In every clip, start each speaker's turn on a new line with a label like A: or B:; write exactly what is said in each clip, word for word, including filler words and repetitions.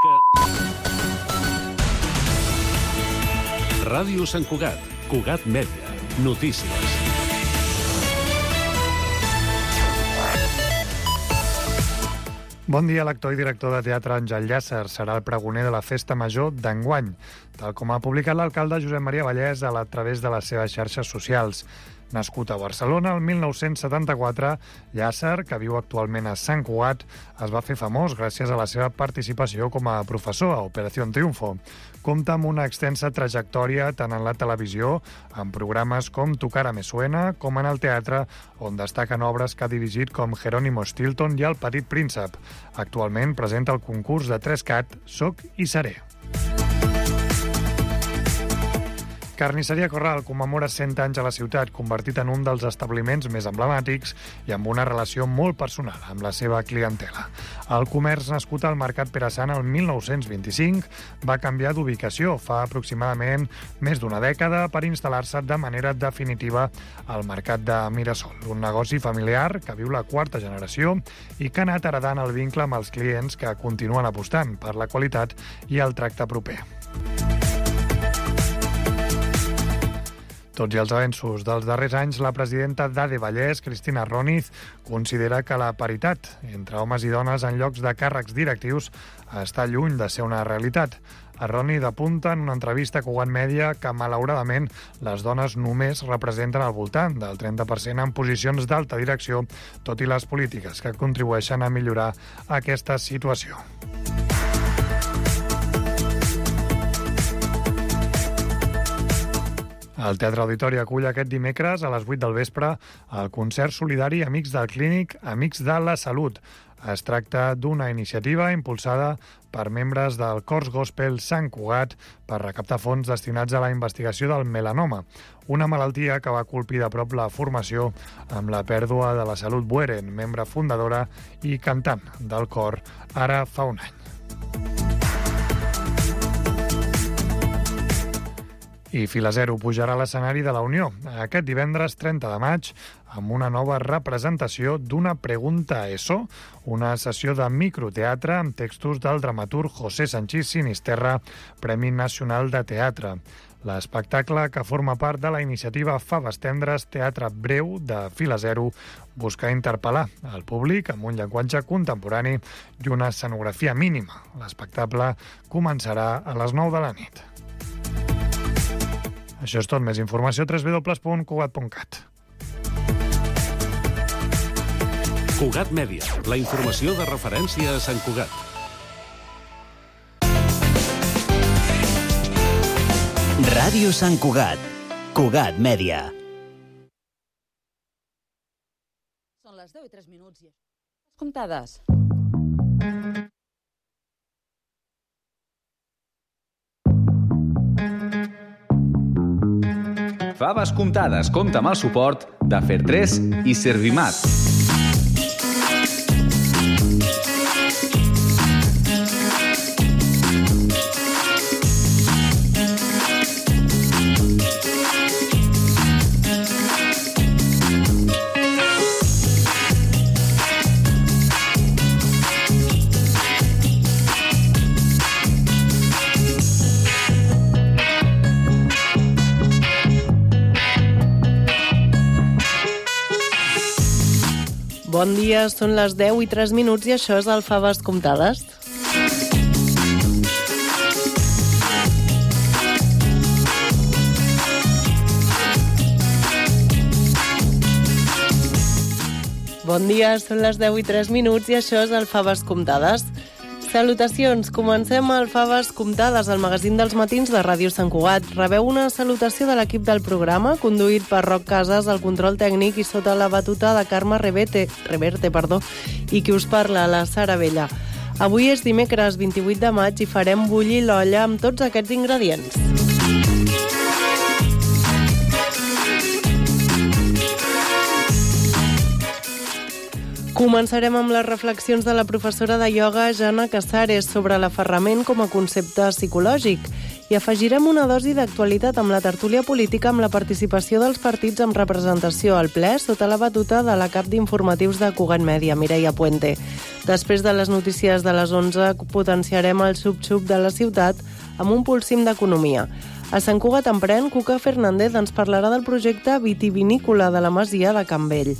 A: política... Ràdio Sant Cugat, Cugat Mèdia, notícies.
B: Bon dia, l'actor i director de teatre Àngel Llàcer serà el pregoner de la Festa Major d'enguany, tal com ha publicat l'alcalde Josep Maria Vallès a través de les seves xarxes socials. Nascut a Barcelona el mil nou-cents setanta-quatre, Llàcer, que viu actualment a Sant Cugat, es va fer famós gràcies a la seva participació com a professor a Operación Triunfo. Compta amb una extensa trajectòria tant en la televisió, en programes com Tu cara me suena, com en el teatre, on destaquen obres que ha dirigit com Jerónimo Stilton i El petit príncep. Actualment presenta el concurs de Trescat Soc i seré. Carnisseria Corral commemora cent anys a la ciutat, convertit en un dels establiments més emblemàtics i amb una relació molt personal amb la seva clientela. El comerç, nascut al Mercat Pere Sant el mil nou-cents vint-i-cinc, va canviar d'ubicació fa aproximadament més d'una dècada per instal·lar-se de manera definitiva al Mercat de Mirasol, un negoci familiar que viu la quarta generació i que ha anat heredant el vincle amb els clients que continuen apostant per la qualitat i el tracte proper. Tots i els avenços dels darrers anys, la presidenta d'A D E Vallès, Cristina Roniz, considera que la paritat entre homes i dones en llocs de càrrecs directius està lluny de ser una realitat. Roniz apunta en una entrevista a Cugat Mèdia que, malauradament, les dones només representen al voltant del trenta per cent en posicions d'alta direcció, tot i les polítiques que contribueixen a millorar aquesta situació. El Teatre Auditori acull aquest dimecres a les vuit del vespre el concert solidari Amics del Clínic, Amics de la Salut. Es tracta d'una iniciativa impulsada per membres del Cors Gospel Sant Cugat per recaptar fons destinats a la investigació del melanoma, una malaltia que va colpir de prop la formació amb la pèrdua de la Salut Bueren, membre fundadora i cantant del cor ara fa un any. I Fila Zero pujarà a l'escenari de la Unió aquest divendres trenta de maig amb una nova representació d'Una pregunta eso, una sessió de microteatre amb textos del dramaturg José Sanchís Sinisterra, Premi Nacional de Teatre. L'espectacle, que forma part de la iniciativa Faves Tendres Teatre Breu de Fila Zero, busca interpel·lar el públic amb un llenguatge contemporani i una escenografia mínima. L'espectacle començarà a les nou de la nit. Això és tot. Més informació a w w w punt cugat punt cat.
A: Cugat Mèdia, la informació de referència a Sant Cugat.
C: Ràdio Sant Cugat, Cugat Mèdia.
D: Són les deu i tres minuts i comptades.
E: Faves comptades compta amb el suport de Fertres i Servimat.
F: Bon dia, són les deu i tres minuts i això és el Faves comptades. Bon dia, són les deu i tres minuts i això és el Faves comptades. Salutacions, comencem el Faves comptades, el magazín dels matins de Ràdio Sant Cugat. Rebeu una salutació de l'equip del programa, conduït per Roc Casas, el control tècnic i sota la batuta de Carme Reverte, Reverte, perdó, i qui us parla, la Sara Vella. Avui és dimecres vint-i-vuit de maig i farem bullir l'olla amb tots aquests ingredients. Començarem amb les reflexions de la professora de ioga Jana Casares sobre l'aferrament com a concepte psicològic I afegirem una dosi d'actualitat amb la tertúlia política amb la participació dels partits amb representació al ple sota la batuta de la cap d'informatius de Cugat Mèdia, Mireia Puente. Després de les notícies de les onze, potenciarem el xup-xup de la ciutat amb un pulsim d'economia. A Sant Cugat Emprèn, Cuca Fernández ens parlarà del projecte vitivinícola de la Masia de Can Vell.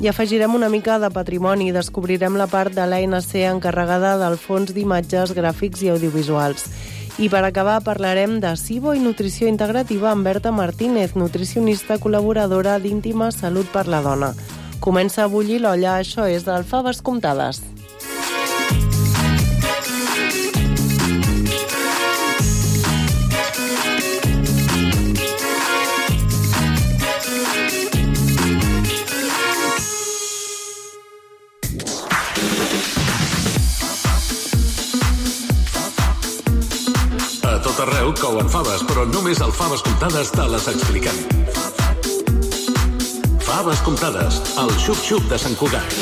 F: I afegirem una mica de patrimoni i descobrirem la part de l'A N C encarregada del fons d'imatges, gràfics i audiovisuals. I per acabar parlarem de SIBO i nutrició integrativa amb Berta Martínez, nutricionista col·laboradora d'Íntima Salut per la Dona. Comença a bullir l'olla, això és del Faves Comptades.
A: A tot arreu couen faves, però només al Faves Comptades te les expliquem. Faves Comptades, el xup-xup de Sant Cugat.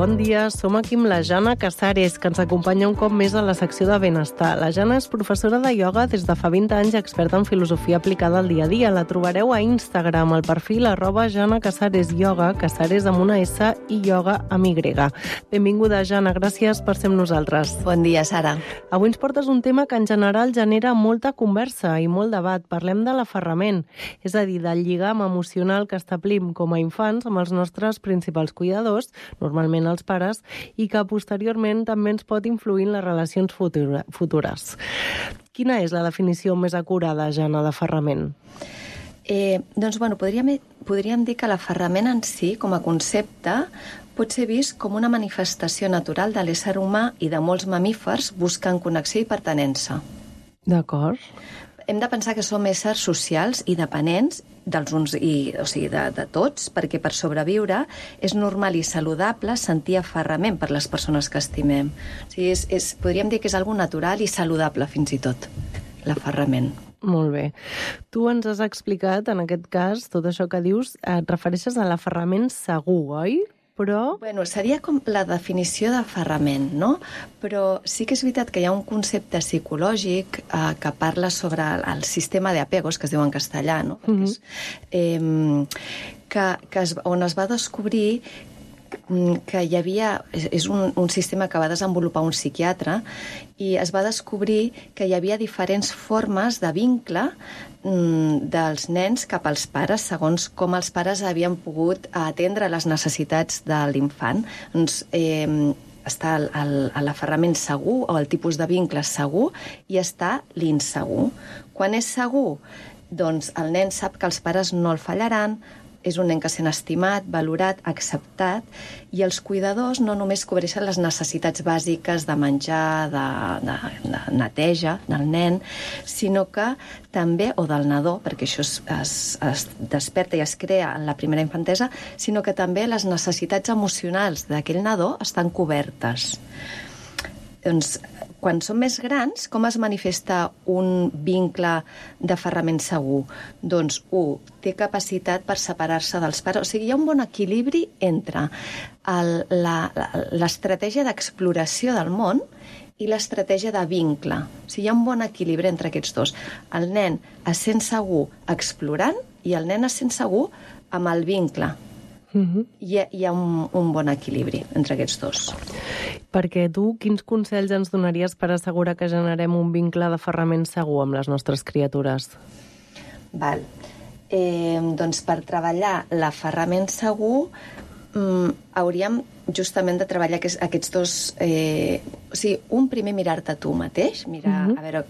F: Bon dia, som aquí amb la Jana Casares, que ens acompanya un cop més a la secció de benestar. La Jana és professora de ioga des de fa vint anys i experta en filosofia aplicada al dia a dia. La trobareu a Instagram, al perfil arroba Jana Casares Ioga, Casares amb una S i ioga amb Y. Benvinguda, Jana, gràcies per ser amb nosaltres.
G: Bon dia, Sara.
F: Avui ens portes un tema que en general genera molta conversa i molt debat. Parlem de l'aferrament, és a dir, del lligam emocional que establim com a infants amb els nostres principals cuidadors, normalment els pares, i que posteriorment també ens pot influir en les relacions futura, futures. Quina és la definició més acurada, Jana, d'aferrament?
G: Eh, doncs, bueno, podríem, podríem dir que l'aferrament en si, com a concepte, pot ser vist com una manifestació natural de l'ésser humà i de molts mamífers buscant connexió i pertinença.
F: D'acord.
G: Hem de pensar que som éssers socials i dependents dels uns i, o sigui, de, de tots, perquè per sobreviure és normal i saludable sentir aferrament per les persones que estimem. O sigui, és, és, podríem dir que és algo natural i saludable, fins i tot, l'aferrament.
F: Molt bé. Tu ens has explicat, en aquest cas, tot això que dius, et refereixes a l'aferrament segur, oi? Però...
G: Bueno, seria com la definició d'aferrament, no? Però sí que és veritat que hi ha un concepte psicològic eh, que parla sobre el, el sistema d'apegos, que es diu en castellà, no? Mm-hmm. és, eh, que, que es, on es va descobrir que hi havia... És un, un sistema que va desenvolupar un psiquiatre i es va descobrir que hi havia diferents formes de vincle mm, dels nens cap als pares, segons com els pares havien pogut atendre les necessitats de l'infant. Doncs eh, està l'aferrament segur o el tipus de vincle segur i està l'insegur. Quan és segur, doncs el nen sap que els pares no el fallaran, és un nen que sent estimat, valorat, acceptat, i els cuidadors no només cobreixen les necessitats bàsiques de menjar, de, de, de neteja del nen, sinó que també, o del nadó, perquè això es, es, es desperta i es crea en la primera infantesa, sinó que també les necessitats emocionals d'aquell nadó estan cobertes. Doncs, quan som més grans, com es manifesta un vincle d'aferrament segur? Doncs, u, té capacitat per separar-se dels pares. O sigui, hi ha un bon equilibri entre l'estratègia d'exploració del món i l'estratègia de vincle. O sigui, hi ha un bon equilibri entre aquests dos. El nen es sent segur explorant i el nen es sent segur amb el vincle. Uh-huh. Hi ha, hi ha un, un bon equilibri entre aquests dos.
F: Perquè tu, quins consells ens donaries per assegurar que generem un vincle d'aferrament segur amb les nostres criatures?
G: Val. Eh, doncs per treballar l'aferrament segur mm, hauríem justament de treballar aquests, aquests dos eh, O sigui, un primer mirar-te tu mateix, mirar uh -huh. a veure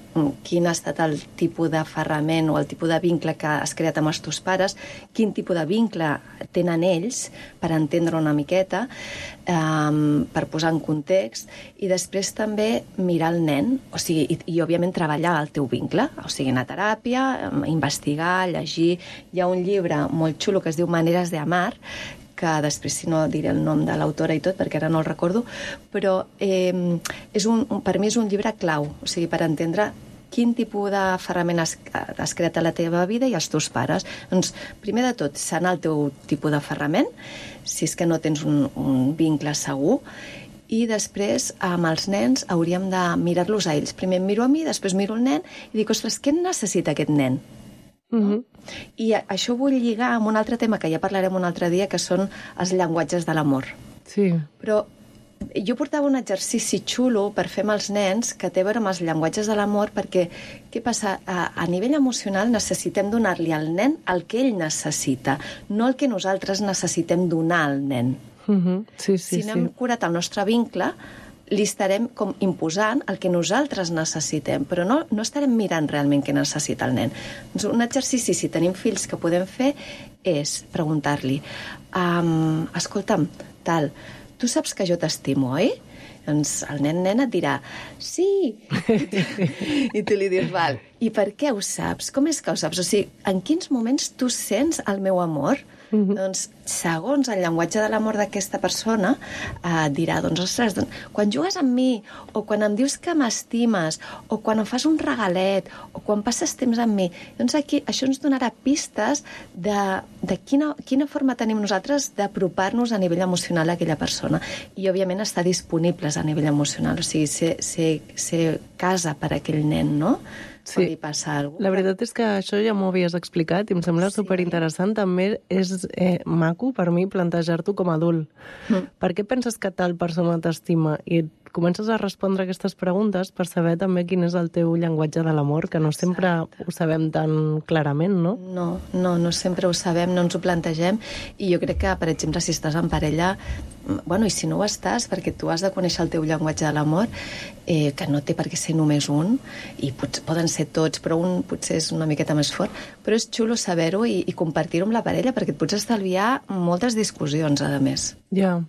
G: quin ha estat el tipus d'aferrament o el tipus de vincle que has creat amb els teus pares, quin tipus de vincle tenen ells, per entendre una miqueta, um, per posar en context, i després també mirar el nen, o sigui, i, i òbviament treballar el teu vincle, o sigui, anar a teràpia, investigar, llegir. Hi ha un llibre molt xulo que es diu Maneres de amar, que després, si no, diré el nom de l'autora i tot, perquè ara no el recordo, però eh, és un, per mi és un llibre clau, o sigui, per entendre quin tipus d'aferrament has, has creat a la teva vida i els teus pares. Doncs, primer de tot, sanar el teu tipus d'aferrament, si és que no tens un, un vincle segur, i després, amb els nens, hauríem de mirar-los a ells. Primer em miro a mi, després miro el nen i dic, ostres, què necessita aquest nen? Uh-huh. I això ho vull lligar amb un altre tema que ja parlarem un altre dia, que són els llenguatges de l'amor.
F: Sí.
G: Però jo portava un exercici xulo per fer amb els nens que té a veure amb els llenguatges de l'amor, perquè què passa? A, a nivell emocional necessitem donar-li al nen el que ell necessita, no el que nosaltres necessitem donar al nen.
F: Uh-huh. Sí, sí,
G: si no hem
F: sí.
G: curat el nostre vincle, li estarem com imposant el que nosaltres necessitem, però no, no estarem mirant realment què necessita el nen. Doncs un exercici, si tenim fills, que podem fer és preguntar-li um, escolta'm, tal, tu saps que jo t'estimo, oi? Doncs el nen-nen et dirà sí! I tu li dius, val, i per què ho saps? Com és que ho saps? O sigui, en quins moments tu sents el meu amor? Uh-huh. Doncs, segons el llenguatge de l'amor d'aquesta persona, eh, dirà, doncs, ostres, doncs, quan jugues amb mi, o quan em dius que m'estimes, o quan em fas un regalet, o quan passes temps amb mi, doncs aquí això ens donarà pistes de, de quina, quina forma tenim nosaltres d'apropar-nos a nivell emocional a aquella persona. I, òbviament, estar disponibles a nivell emocional, o sigui, ser, ser, ser casa per a aquell nen, no?
F: Sí.
G: Li passa alguna cosa.
F: La veritat és que això ja m'ho havies explicat i em sembla
G: sí.
F: superinteressant. També és eh, maco per mi plantejar-t'ho com a adult. Mm. Per què penses que tal persona t'estima? I comences a respondre aquestes preguntes per saber també quin és el teu llenguatge de l'amor, que no sempre Exacte. Ho sabem tan clarament, no?
G: No, no, no sempre ho sabem, no ens ho plantegem, i jo crec que, per exemple, si estàs en parella, bueno, i si no ho estàs, perquè tu has de conèixer el teu llenguatge de l'amor, eh, que no té per què ser només un, i pot, poden ser tots, però un potser és una miqueta més fort, però és xulo saber-ho i, i compartir-ho amb la parella, perquè et pots estalviar moltes discussions, a més.
F: Ja.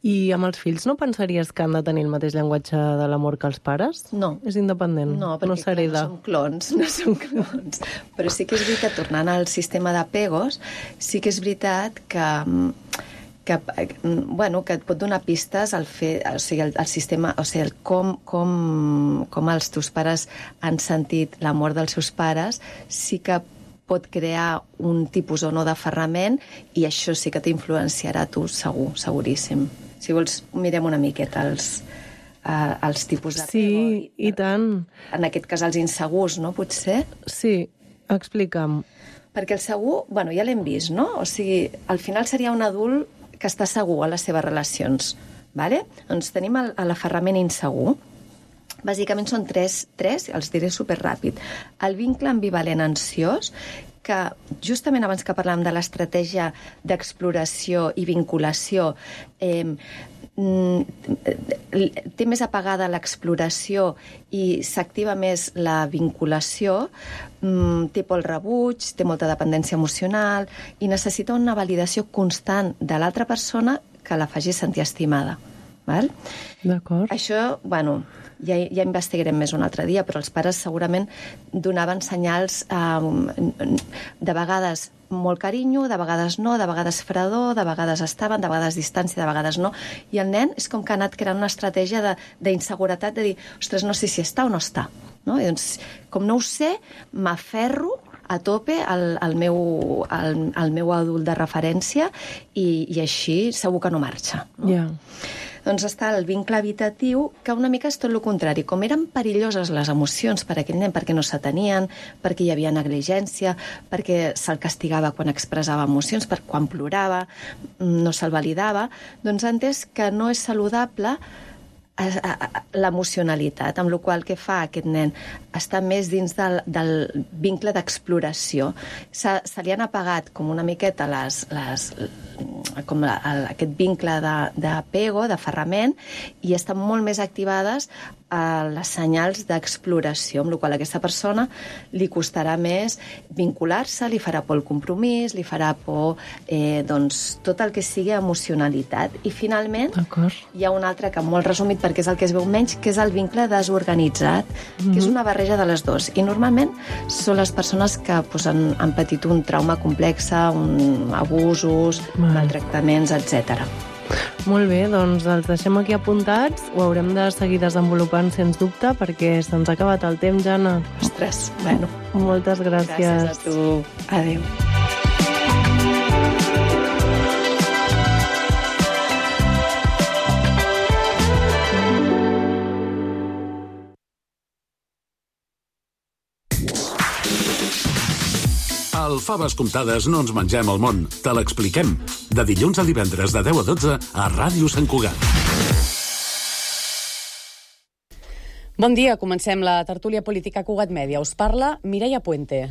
F: I amb els fills no pensaries que han de tenir el mateix llenguatge de l'amor que els pares?
G: No.
F: És independent?
G: No, perquè
F: no,
G: clar, no som clons, no som clons. Però sí que és veritat, tornant al sistema d'apegos, sí que és veritat que... que, bueno, que et pot donar pistes al fer, o sigui, el, el sistema, o sigui, el com, com, com els teus pares han sentit l'amor dels seus pares, sí que pot crear un tipus o no d'aferrament, i això sí que t'influenciarà tu, segur, seguríssim. Si vols, mirem una miqueta els, uh, els tipus d'apego.
F: Sí, i, i tant.
G: En aquest cas, els insegurs, no, potser?
F: Sí, explica'm.
G: Perquè el segur, bueno, ja l'hem vist, no? O sigui, al final seria un adult que està segur a les seves relacions, ¿vale? Doncs tenim l'aferrament insegur. Bàsicament són tres, tres, els diré superràpid. El vincle ambivalent ansiós, que justament abans que parlàvem de l'estratègia d'exploració i vinculació, eh, té més apagada l'exploració i s'activa més la vinculació, té por al rebuig, té molta dependència emocional i necessita una validació constant de l'altra persona que la faci sentir estimada. Val?
F: D'acord.
G: Això, bueno, ja, ja investigarem més un altre dia, però els pares segurament donaven senyals eh, de vegades molt carinyo, de vegades no, de vegades fredor, de vegades estaven, de vegades distància, de vegades no. I el nen és com que ha anat creant una estratègia d'inseguretat, de, de dir, ostres, no sé si està o no està. No? I doncs, com no ho sé, m'aferro a tope al, al, meu, al, al meu adult de referència i, i així segur que no marxa. No?
F: Ja.
G: Doncs està el vincle evitatiu, que una mica és tot el contrari. Com eren perilloses les emocions per a aquell nen, perquè no s'atenien, perquè hi havia negligència, perquè se'l castigava quan expressava emocions, per quan plorava, no se'l validava, doncs ha entès que no és saludable l'emocionalitat, amb la qual que fa aquest nen està més dins del, del vincle d'exploració. Se, se li han apagat com una miqueta les, les, com la, el, aquest vincle d'apego, d'aferrament, i estan molt més activades a les senyals d'exploració, amb la qual cosa a aquesta persona li costarà més vincular-se, li farà por el compromís, li farà por eh, doncs, tot el que sigui emocionalitat. I finalment hi ha un altre que molt resumit, perquè és el que es veu menys, que és el vincle desorganitzat, mm-hmm. que és una barreja de les dues. I normalment són les persones que pues, han, han patit un trauma complex, un, abusos, mm. maltractaments, etcètera.
F: Molt bé, doncs els deixem aquí apuntats, ho haurem de seguir desenvolupant sens dubte perquè se'ns ha acabat el temps, Jana.
G: Ostres, bueno.
F: Moltes gràcies.
G: Gràcies a tu. Adéu.
A: Al Faves Comptades no ens mengem el món, te l'expliquem. De dilluns a divendres de deu a dotze a Ràdio Sant Cugat.
H: Bon dia, comencem la tertúlia política Cugat Mèdia. Us parla Mireia Puente.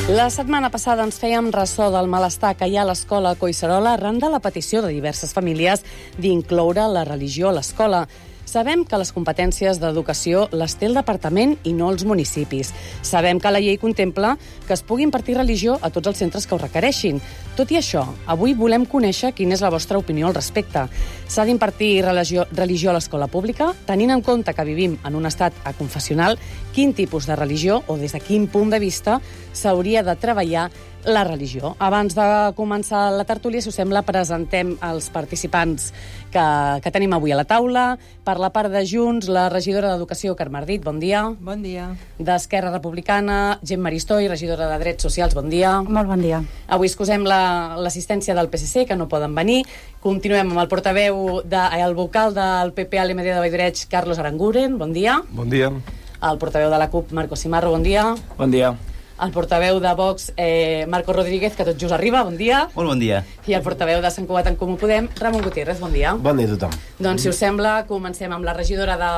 H: La setmana passada ens fèiem ressò del malestar que hi ha a l'escola Collserola arran de la petició de diverses famílies d'incloure la religió a l'escola. Sabem que les competències d'educació les té el departament i no els municipis. Sabem que la llei contempla que es pugui impartir religió a tots els centres que ho requereixin. Tot i això, avui volem conèixer quina és la vostra opinió al respecte. S'ha d'impartir religió, religió a l'escola pública, tenint en compte que vivim en un estat aconfessional, quin tipus de religió o des de quin punt de vista s'hauria de treballar la religió. Abans de començar la tertúlia, si us sembla, presentem els participants que, que tenim avui a la taula. Per la part de Junts, la regidora d'Educació, Carme Ardit, bon dia.
I: Bon dia.
H: D'Esquerra Republicana, Gemma Aristoi, regidora de Drets Socials, bon dia.
I: Molt bon dia.
H: Avui excusem la, l'assistència del P S C, que no poden venir. Continuem amb el portaveu, de, el vocal del P P a l'E M D de Valldoreig, Carlos Aranguren, bon dia.
J: Bon dia.
H: El portaveu de la CUP, Marco Simarro, bon dia.
J: Bon dia.
H: El portaveu de Vox, eh, Marco Rodríguez, que tot just arriba, bon dia.
K: Molt bon dia.
H: I el portaveu de Sant Cugat en Comú Podem, Ramon Gutiérrez, bon dia.
J: Bon dia a tothom.
H: Doncs, si us sembla, comencem amb la regidora de,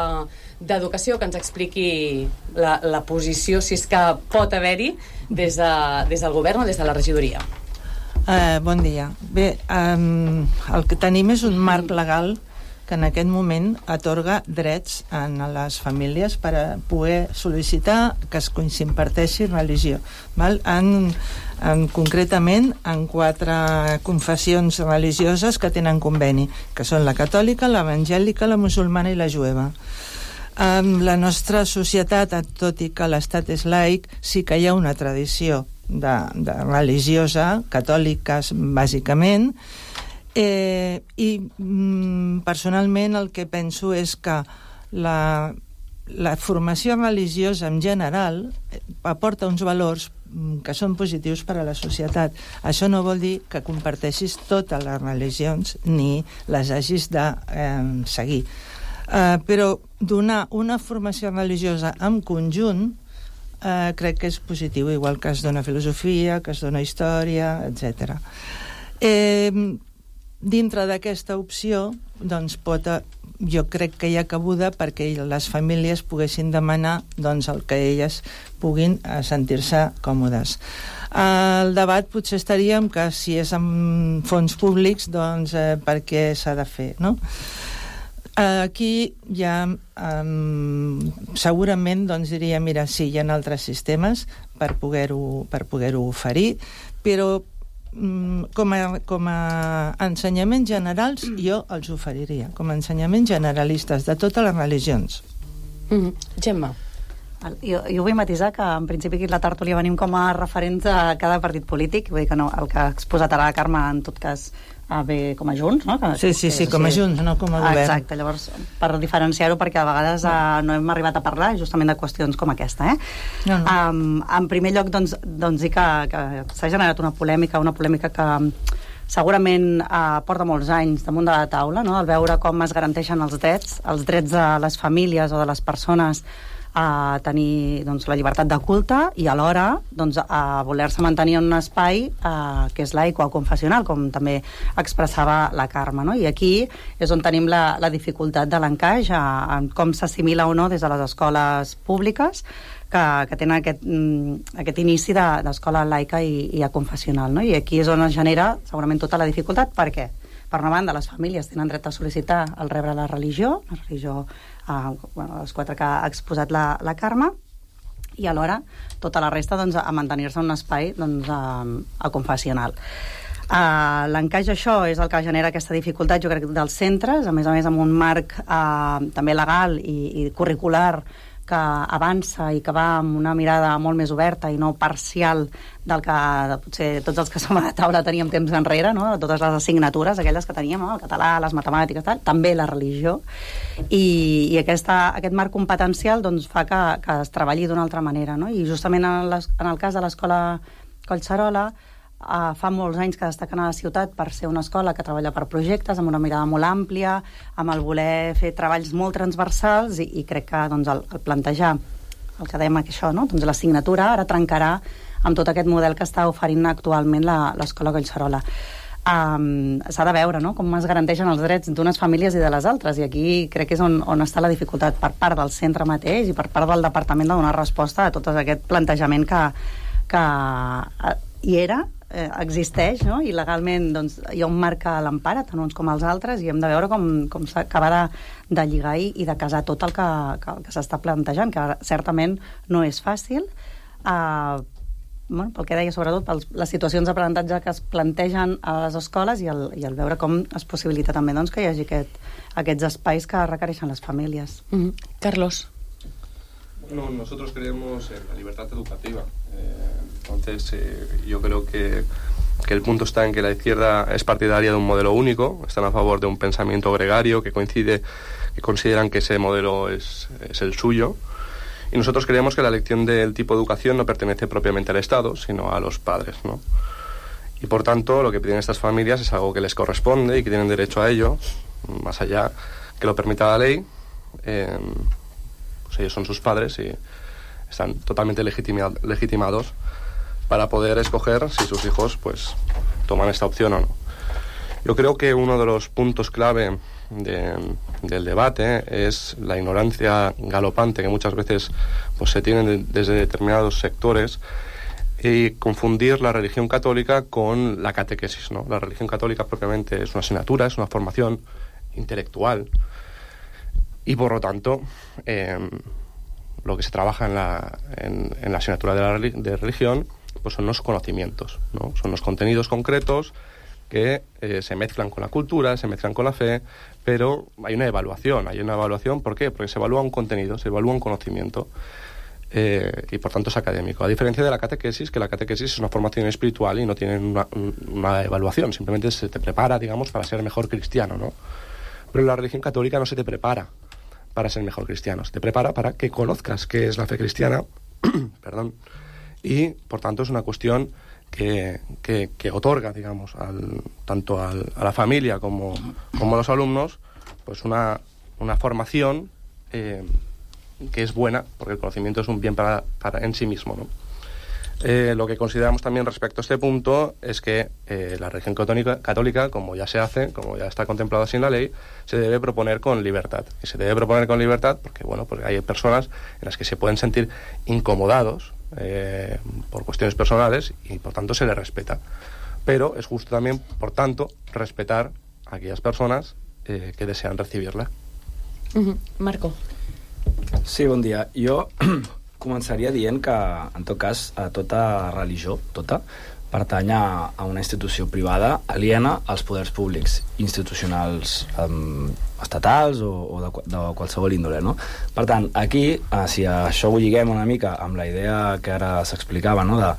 H: d'Educació, que ens expliqui la, la posició, si és que pot haver-hi, des, de, des del govern o des de la regidoria.
I: Uh, bon dia. Bé, um, el que tenim és un marc legal que en aquest moment atorga drets a les famílies per a poder sol·licitar que es s'imparteixi religió. Val? En, en, concretament, en quatre confessions religioses que tenen conveni, que són la catòlica, l'evangèlica, la musulmana i la jueva. En la nostra societat, tot i que l'Estat és laic, sí que hi ha una tradició de, de religiosa, catòliques bàsicament. Eh, i mm, personalment el que penso és que la, la formació religiosa en general aporta uns valors que són positius per a la societat. Això no vol dir que comparteixis totes les religions ni les hagis de eh, seguir. Eh, però donar una formació religiosa en conjunt eh, crec que és positiu, igual que es dona filosofia, que es dona història, etcètera. Eh, Dintre d'aquesta opció, doncs pot, jo crec que hi ha cabuda perquè les famílies poguessin demanar doncs, el que elles puguin sentir-se còmodes. El debat potser estaríem que si és amb fons públics, doncs eh, per què s'ha de fer, no? Aquí ja um, segurament doncs, diria, mira, sí, hi ha altres sistemes per poder-ho per poder-ho oferir, però Com a, com a ensenyaments generals jo els oferiria, com a ensenyaments generalistes de totes les religions.
H: Mm-hmm. Gemma.
L: Jo, jo vull matisar que en principi aquí la tertúlia venim com a referents a cada partit polític, vull dir que no, el que ha exposat ara la Carme en tot cas ve com a Junts, no? Que,
I: sí, sí, sí, com a Junts, no com a govern.
L: Exacte, llavors, per diferenciar-ho, perquè a vegades eh, no hem arribat a parlar justament de qüestions com aquesta, eh?
I: No, no.
L: Um, en primer lloc, doncs, doncs dir que, que s'ha generat una polèmica, una polèmica que segurament eh, porta molts anys damunt de la taula, no? El veure com es garanteixen els drets, els drets de les famílies o de les persones a tenir doncs, la llibertat de culte i alhora doncs, a voler-se mantenir en un espai eh, que és laic o confessional, com també expressava la Carme, no? I aquí és on tenim la, la dificultat de l'encaix en com s'assimila o no des de les escoles públiques que, que tenen aquest, aquest inici d'escola de, laica i, i confessional, no? I aquí és on es genera segurament tota la dificultat. Per què? Per una banda, les famílies tenen dret a sol·licitar el rebre la religió, la religió Uh, bueno, les quatre que ha exposat la, la Carme, i alhora tota la resta doncs, a mantenir-se en un espai doncs, a, a confessional. Uh, L'encaix d'això és el que genera aquesta dificultat, jo crec, dels centres, a més a més amb un marc uh, també legal i, i curricular que avança i que va amb una mirada molt més oberta i no parcial del que potser tots els que som a la taula teníem temps enrere, no? Totes les assignatures, aquelles que teníem, no? El català, les matemàtiques, tal, també la religió. I, i aquesta, aquest marc competencial doncs, fa que, que es treballi d'una altra manera, no? I justament en, les, en el cas de l'escola Collserola, Uh, fa molts anys que destaquen a la ciutat per ser una escola que treballa per projectes, amb una mirada molt àmplia, amb el voler fer treballs molt transversals, i, i crec que doncs, el, el plantejar el que dèiem que això, no? Doncs l'assignatura ara trencarà amb tot aquest model que està oferint actualment l'escola Collserola. Um, s'ha de veure, no?, com es garanteixen els drets d'unes famílies i de les altres, i aquí crec que és on, on està la dificultat per part del centre mateix i per part del departament de donar resposta a tot aquest plantejament que, que hi era, eh, existeix, no? I legalment doncs, hi ha un marc que l'empara, tant uns com els altres, i hem de veure com, com s'acaba de, de lligar i, i de casar tot el que, que, que s'està plantejant, que certament no és fàcil, eh, bueno, pel que deia, sobretot per les situacions d'aprenentatge que es plantegen a les escoles i el, i el veure com es possibilita també doncs, que hi hagi aquest, aquests espais que requereixen les famílies.
H: Mm-hmm. Carlos.
J: Bueno, nosotros creemos en la libertad educativa. Eh, entonces, eh, yo creo que, que el punto está en que la izquierda es partidaria de un modelo único, están a favor de un pensamiento gregario que coincide, que consideran que ese modelo es, es el suyo. Y nosotros creemos que la elección del tipo de educación no pertenece propiamente al Estado, sino a los padres, ¿no? Y por tanto, lo que piden estas familias es algo que les corresponde y que tienen derecho a ello, más allá que lo permita la ley. Eh, pues ellos son sus padres y están totalmente legitima- legitimados para poder escoger si sus hijos pues toman esta opción o no. Yo creo que uno de los puntos clave de, del debate es la ignorancia galopante que muchas veces pues se tiene de, desde determinados sectores, y confundir la religión católica con la catequesis, ¿no? La religión católica propiamente es una asignatura, es una formación intelectual, y por lo tanto eh, lo que se trabaja en la, en, en la asignatura de, la, de religión pues son los conocimientos, ¿no? Son los contenidos concretos que eh, se mezclan con la cultura, se mezclan con la fe, pero hay una evaluación, hay una evaluación, ¿por qué? Porque se evalúa un contenido, se evalúa un conocimiento, eh, y por tanto es académico. A diferencia de la catequesis, que la catequesis es una formación espiritual y no tiene una, una evaluación, simplemente se te prepara, digamos, para ser mejor cristiano, ¿no? Pero en la religión católica no se te prepara para ser mejor cristiano, se te prepara para que conozcas qué es la fe cristiana, perdón, y por tanto es una cuestión que, que, que otorga, digamos, al, tanto al, a la familia como, como a los alumnos, pues una, una formación eh, que es buena, porque el conocimiento es un bien para, para en sí mismo, ¿no? Eh, lo que consideramos también respecto a este punto es que eh, la religión católica, católica, como ya se hace, como ya está contemplado así en la ley, se debe proponer con libertad. Y se debe proponer con libertad porque, bueno, porque hay personas en las que se pueden sentir incomodados eh, por cuestiones personales y, por tanto, se les respeta. Pero es justo también, por tanto, respetar a aquellas personas eh, que desean recibirla.
H: Uh-huh. Marco.
K: Sí, bon dia. Jo començaria dient que, en tot cas, a tota religió, tota, pertany a, a una institució privada aliena als poders públics, institucionals um, estatals o, o de, de qualsevol índole, no? Per tant, aquí, eh, si això ho lliguem una mica amb la idea que ara s'explicava, no?, de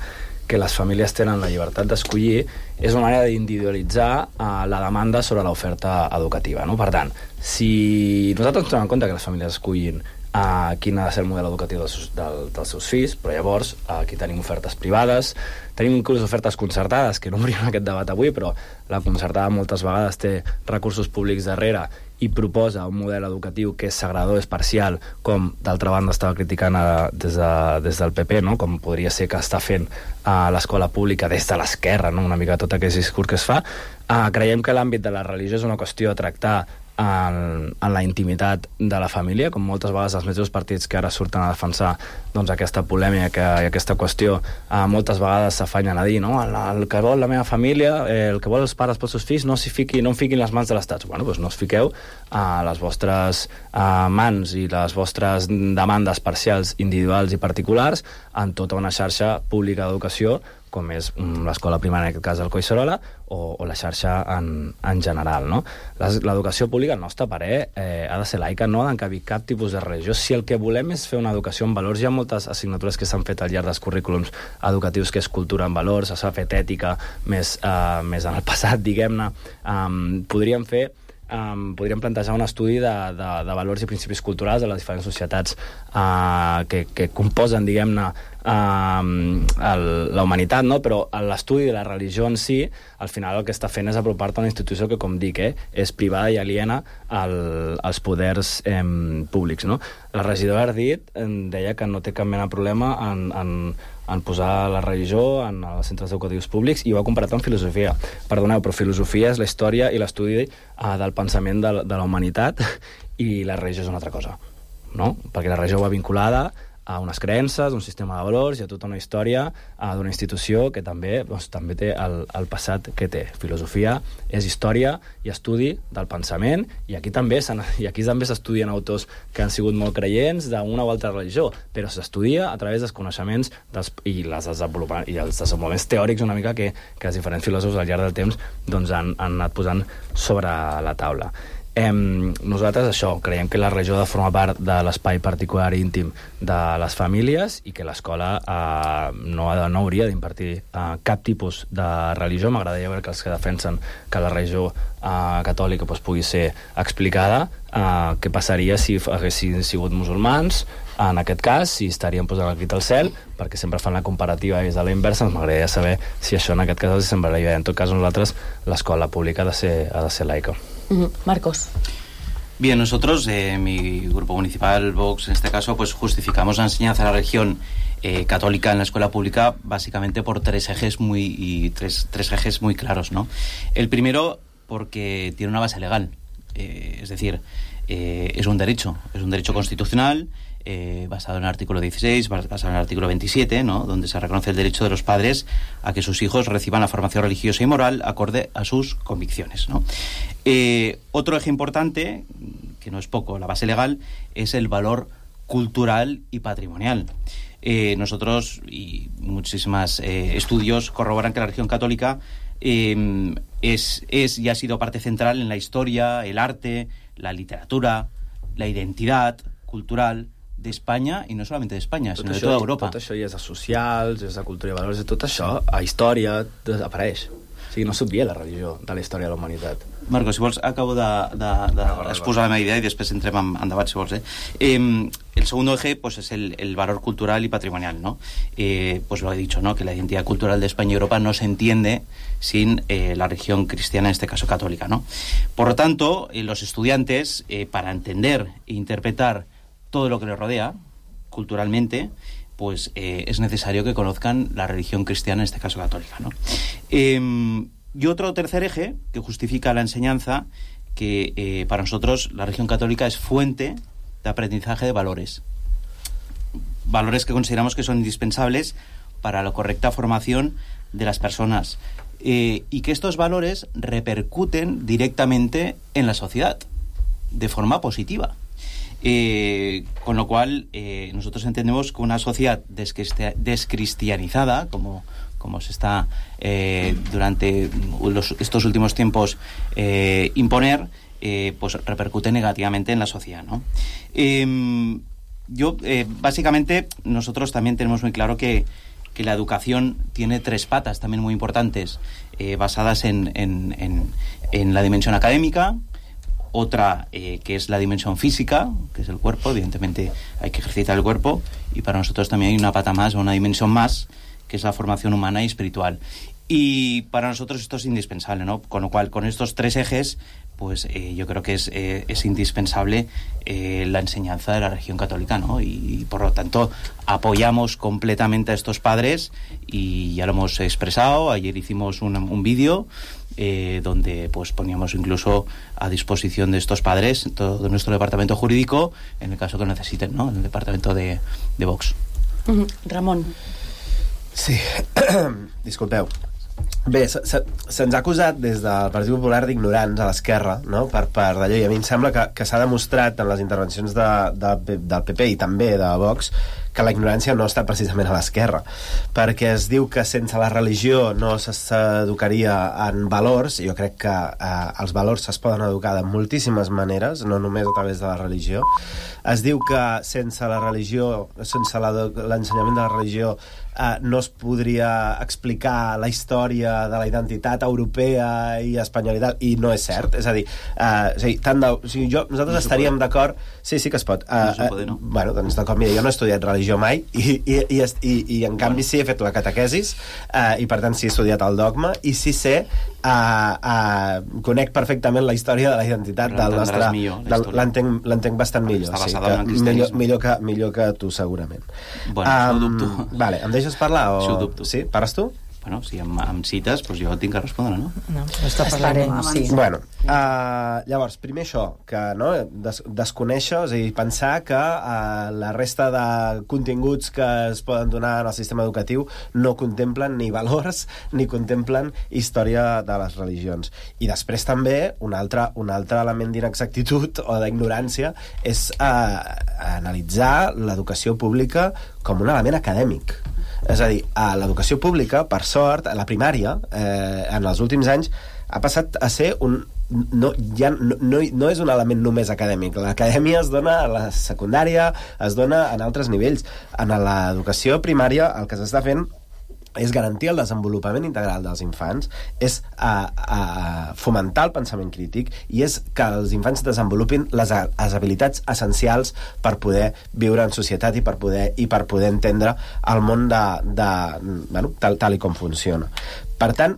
K: que les famílies tenen la llibertat d'escollir, és una manera d'individualitzar eh, la demanda sobre l'oferta educativa, no? Per tant, si nosaltres ens donem en compte que les famílies escollin uh, quin ha de ser el model educatiu dels, del, dels seus fills, però llavors uh, aquí tenim ofertes privades, tenim inclús ofertes concertades, que no obrim aquest debat avui, però la concertada moltes vegades té recursos públics darrere i proposa un model educatiu que és segregador, és parcial, com d'altra banda estava criticant a, des, de, des del P P, no? Com podria ser que està fent a l'escola pública des de l'esquerra, no? Una mica tot aquest discurs que es fa. Uh, creiem que l'àmbit de la religió és una qüestió a tractar en, en la intimitat de la família, com moltes vegades els mateixos partits que ara surten a defensar doncs, aquesta polèmica i aquesta qüestió eh, moltes vegades s'afanyen a dir, no? El, el que vol la meva família, eh, el que vol els pares pels seus fills, no s'hi fiqui, no en fiquin les mans de l'Estat. Bueno, doncs no us fiqueu a eh, les vostres eh, mans i les vostres demandes parcials, individuals i particulars en tota una xarxa pública d'educació com és l'escola primària, en aquest cas el Collserola, o, o la xarxa en, en general. No? L'educació pública, al nostre parer, eh, ha de ser laica, no ha d'encabir cap tipus de religió. Si el que volem és fer una educació en valors, hi ha moltes assignatures que s'han fet al llarg dels currículums educatius, que és cultura en valors, s'ha fet ètica més, eh, més en el passat, diguem-ne. Um, podríem fer Um, podríem plantejar un estudi de, de, de valors i principis culturals de les diferents societats uh, que, que composen, diguem-ne, uh, la humanitat, no? Però l'estudi de la religió en si, al final el que està fent és apropar-te a una institució que, com dic, eh, és privada i aliena al, als poders eh, públics, no? La regidora Ardit eh, deia que no té cap mena de problema en, en en posar la religió en els centres educatius públics i ho ha comparat amb filosofia. Perdoneu, però filosofia és la història i l'estudi uh, del pensament de, de la humanitat i la religió és una altra cosa, no? Perquè la religió va vinculada a unes creences, un sistema de valors i a tota una història uh, d'una institució que també, doncs, també té el, el passat que té. Filosofia és història i estudi del pensament i aquí també i aquí també s'estudien autors que han sigut molt creients d'una o altra religió, però s'estudia a través dels coneixements dels, i, les i els desenvolupaments teòrics una mica que, que els diferents filòsofs al llarg del temps doncs, han, han anat posant sobre la taula. Eh, nosaltres això, creiem que la religió ha de formar part de l'espai particular i íntim de les famílies i que l'escola eh, no, ha de, no hauria d'impartir eh, cap tipus de religió. M'agradaria veure que els que defensen que la religió eh, catòlica pues, pugui ser explicada, eh, què passaria si haguessin sigut musulmans, en aquest cas, si estarien posant el crit al cel, perquè sempre fan la comparativa des de la inversa. M'agradaria saber si això en aquest cas els semblaria bé. En tot cas, nosaltres, l'escola pública ha de ser, ha de ser laica.
H: Uh-huh. Marcos.
M: Bien, nosotros, eh, mi grupo municipal, Vox, en este caso, pues justificamos la enseñanza de la religión eh, católica en la escuela pública básicamente por tres ejes muy y tres, tres ejes muy claros, ¿no? El primero, porque tiene una base legal, eh, es decir, eh, es un derecho, es un derecho constitucional. Eh, basado en el artículo dieciséis, basado en el artículo veintisiete, ¿no? Donde se reconoce el derecho de los padres a que sus hijos reciban la formación religiosa y moral acorde a sus convicciones, ¿no? Eh, otro eje importante, que no es poco, la base legal, es el valor cultural y patrimonial. Eh, nosotros y muchísimos eh, estudios corroboran que la religión católica eh, es, es y ha sido parte central en la historia, el arte, la literatura, la identidad cultural de Espanya, i no solament d'Espanya, sinó de tota Europa.
K: Tot això ja és de socials, és de cultura i valors, i tot això a història desapareix. O sigui, no s'obvia la religió de la història de la humanitat.
M: Marcos, si vols, acabo d'exposar la meva idea i després entrem en, en debat, si vols. Eh? Eh, el segundo eje pues, es el, el valor cultural y patrimonial, ¿no? Eh, pues lo he dicho, ¿no? Que la identidad cultural de España y Europa no se entiende sin eh, la religión cristiana, en este caso católica, ¿no? Por lo tanto, eh, los estudiantes, eh, para entender e interpretar todo lo que les rodea, culturalmente, pues eh, es necesario que conozcan la religión cristiana, en este caso católica, ¿no? Eh, y otro tercer eje que justifica la enseñanza, que eh, para nosotros la religión católica es fuente de aprendizaje de valores. Valores que consideramos que son indispensables para la correcta formación de las personas. Eh, y que estos valores repercuten directamente en la sociedad, de forma positiva. Eh, con lo cual eh, nosotros entendemos que una sociedad descristianizada, como, como se está eh, durante los, estos últimos tiempos eh, imponer, eh, pues repercute negativamente en la sociedad, ¿no? Eh, yo, eh, básicamente, nosotros también tenemos muy claro que, que la educación tiene tres patas también muy importantes, eh, basadas en, en, en, en la dimensión académica, otra eh, que es la dimensión física, que es el cuerpo, evidentemente hay que ejercitar el cuerpo, y para nosotros también hay una pata más, o una dimensión más, que es la formación humana y espiritual. Y para nosotros esto es indispensable, ¿no? Con lo cual, con estos tres ejes, pues eh, yo creo que es, eh, es indispensable eh, la enseñanza de la religión católica, ¿no? Y, y por lo tanto apoyamos completamente a estos padres, y ya lo hemos expresado. Ayer hicimos un, un vídeo eh, donde pues poníamos incluso a disposición de estos padres todo nuestro departamento jurídico en el caso que necesiten, ¿no? En el departamento de, de Vox.
H: Mm-hmm. Ramon.
N: Sí, disculpeu. Bé, se, se, se'ns ha acusat des del Partit Popular d'ignorants a l'esquerra, no? per, per d'allò, i a mi em sembla que, que s'ha demostrat en les intervencions de, de, del P P i també de Vox que la ignorància no està precisament a l'esquerra, perquè es diu que sense la religió no s'educaria en valors. Jo crec que eh, els valors es poden educar de moltíssimes maneres, no només a través de la religió. Es diu que sense la religió, sense l'ensenyament de la religió, eh, no es podria explicar la història de la identitat europea i espanyola, i no és cert. És a dir, eh, és a dir tant de, o sigui, jo, nosaltres no estaríem d'acord... Sí, sí que es pot. Uh, no uh, no? Bueno, doncs d'acord, mira, jo no he estudiat religió mai, i, i, i, i, i en canvi sí he fet la catequesis, uh, i per tant sí he estudiat el dogma, i sí sé, uh, uh, conec perfectament la història de la identitat del nostre... L'entenc bastant millor.
M: Està
N: sí,
M: basada en el cristianisme.
N: Millor, millor, que, millor que tu, segurament.
M: Bueno, um, això ho dubto.
N: Vale, em deixes parlar? O...
M: Això ho dubto.
N: Sí? Pares tu?
M: Bueno, si em, em cites, doncs jo tinc que respondre, no?
I: No, està parlant, sí.
N: Bueno, uh, llavors, primer això, que no, des, desconèixer, és a dir, pensar que uh, la resta de continguts que es poden donar en el sistema educatiu no contemplen ni valors ni contemplen història de les religions. I després també un altre, un altre element d'inexactitud o d'ignorància és uh, analitzar l'educació pública com un element acadèmic. És a dir, a l'educació pública, per sort, a la primària, eh, en els últims anys, ha passat a ser un... No, ja, no, no, no és un element només acadèmic. L'acadèmia es dona a la secundària, es dona en altres nivells. En l'educació primària el que s'està fent és garantir el desenvolupament integral dels infants, és a, a fomentar el pensament crític, i és que els infants desenvolupin les, les habilitats essencials per poder viure en societat i per poder, i per poder entendre el món de, de, bueno, tal, tal i com funciona. Per tant,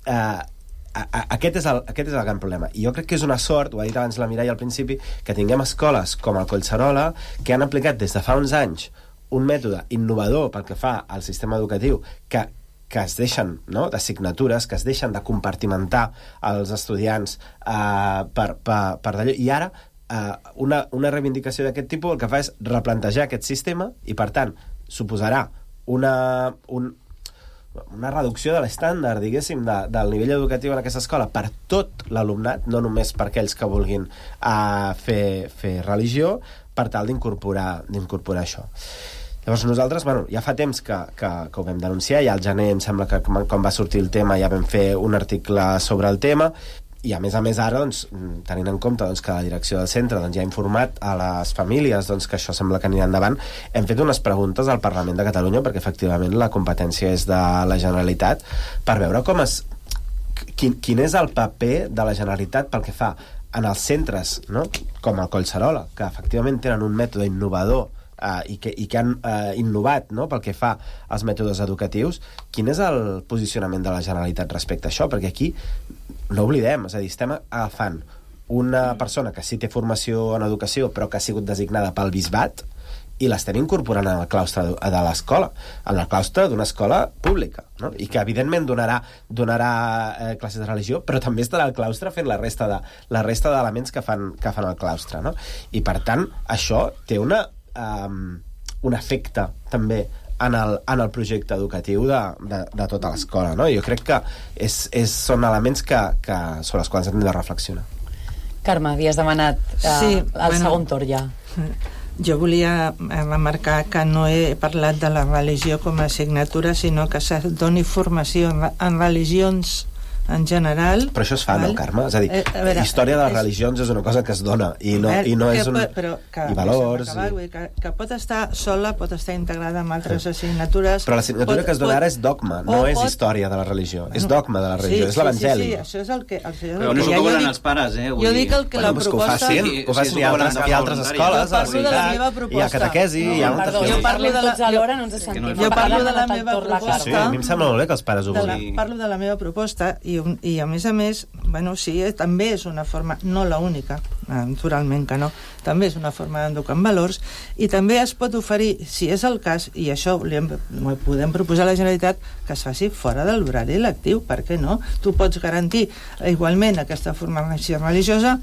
N: eh, a, a, aquest, és el, aquest és el gran problema. I jo crec que és una sort, ho ha dit abans la Mireia al principi, que tinguem escoles com el Collserola que han aplicat des de fa uns anys un mètode innovador pel que fa al sistema educatiu, que, que es deixen, no?, d'assignatures, que es deixen de compartimentar els estudiants eh, per, per, per d'allò, i ara eh, una, una reivindicació d'aquest tipus el que fa és replantejar aquest sistema, i per tant suposarà una, un, una reducció de l'estàndard, diguéssim, de, del nivell educatiu en aquesta escola per tot l'alumnat, no només per aquells que vulguin uh, fer, fer religió, per tal d'incorporar d'incorporar això. Llavors nosaltres, bueno, ja fa temps que, que, que ho vam denunciar, ja al gener em sembla que quan va sortir el tema ja vam fer un article sobre el tema, i a més a més ara, doncs, tenint en compte doncs, que la direcció del centre doncs, ja ha informat a les famílies doncs, que això sembla que anirà endavant, hem fet unes preguntes al Parlament de Catalunya, perquè efectivament la competència és de la Generalitat, per veure com es, quin, quin és el paper de la Generalitat pel que fa en els centres, no?, com el Collserola, que efectivament tenen un mètode innovador Uh, i, que, i que han uh, innovat, no?, pel que fa als mètodes educatius. Quin és el posicionament de la Generalitat respecte a això? Perquè aquí no oblidem, és a dir, estem agafant una persona que sí té formació en educació però que ha sigut designada pel bisbat i l'estem incorporant al claustre de l'escola, en el claustre d'una escola pública, no?, i que evidentment donarà, donarà eh, classes de religió, però també estarà al claustre fent la resta de la resta d'elements que fan, que fan el claustre, no? I per tant això té una Um, un efecte també en el, en el projecte educatiu de, de, de tota l'escola, no? Jo crec que és, és, són elements que, que, sobre els quals hem de reflexionar.
H: Carme, havies demanat uh,
I: sí,
H: el
I: bueno,
H: segon torn ja.
I: Jo volia remarcar que no he parlat de la religió com a assignatura, sinó que se doni formació en, en religions en general...
N: Però això es fa,
I: val?
N: no, Carme? És a dir,
I: Eh, a veure,
N: història de les
I: és-
N: religions és una cosa que es dona, i no,
I: Albert,
N: i no és
I: que
N: un...
I: pot- però que,
N: I valors...
I: Acabar,
N: I...
I: vull dir, que, que pot estar sola, pot estar integrada amb altres assignatures...
N: Però l'assignatura
I: pot-
N: que es dona
I: pot-
N: ara és dogma, no
I: o
N: és
I: pot-
N: història de la religió. És
I: Bueno,
N: dogma de la religió,
I: sí,
N: és l'evangeli.
I: Sí, sí, sí, això és el que... El, això és el
M: Però no
I: que
M: s'ho
I: ja jo
M: cobren
I: dic-
M: els pares, eh? Vull
I: Jo
M: dir-
I: dic el que
N: Bueno,
I: la
N: pues que ho
I: proposta...
N: facin, que ho facin, hi ha altres, hi ha altres escoles,
I: Jo parlo de la meva
N: hi ha
I: proposta.
N: catequesi, hi ha
H: No,
N: moltes
H: perdó,
N: coses.
H: jo parlo de la... alhora no ens
I: Jo
H: sentim.
I: jo parlo de la
H: Parlant
I: meva
H: tot la
I: proposta.
N: Sí, a mi em sembla molt bé que els pares ho
I: de la,
N: vulguin.
I: parlo de la meva proposta i, un- i a més a més, bueno, sí, eh, també és una forma, no la única, naturalment que no, també és una forma d'educar en valors i també es pot oferir, si és el cas, i això li hem, podem proposar a la Generalitat que es faci fora de l'horari lectiu, per què no? Tu pots garantir igualment aquesta formació religiosa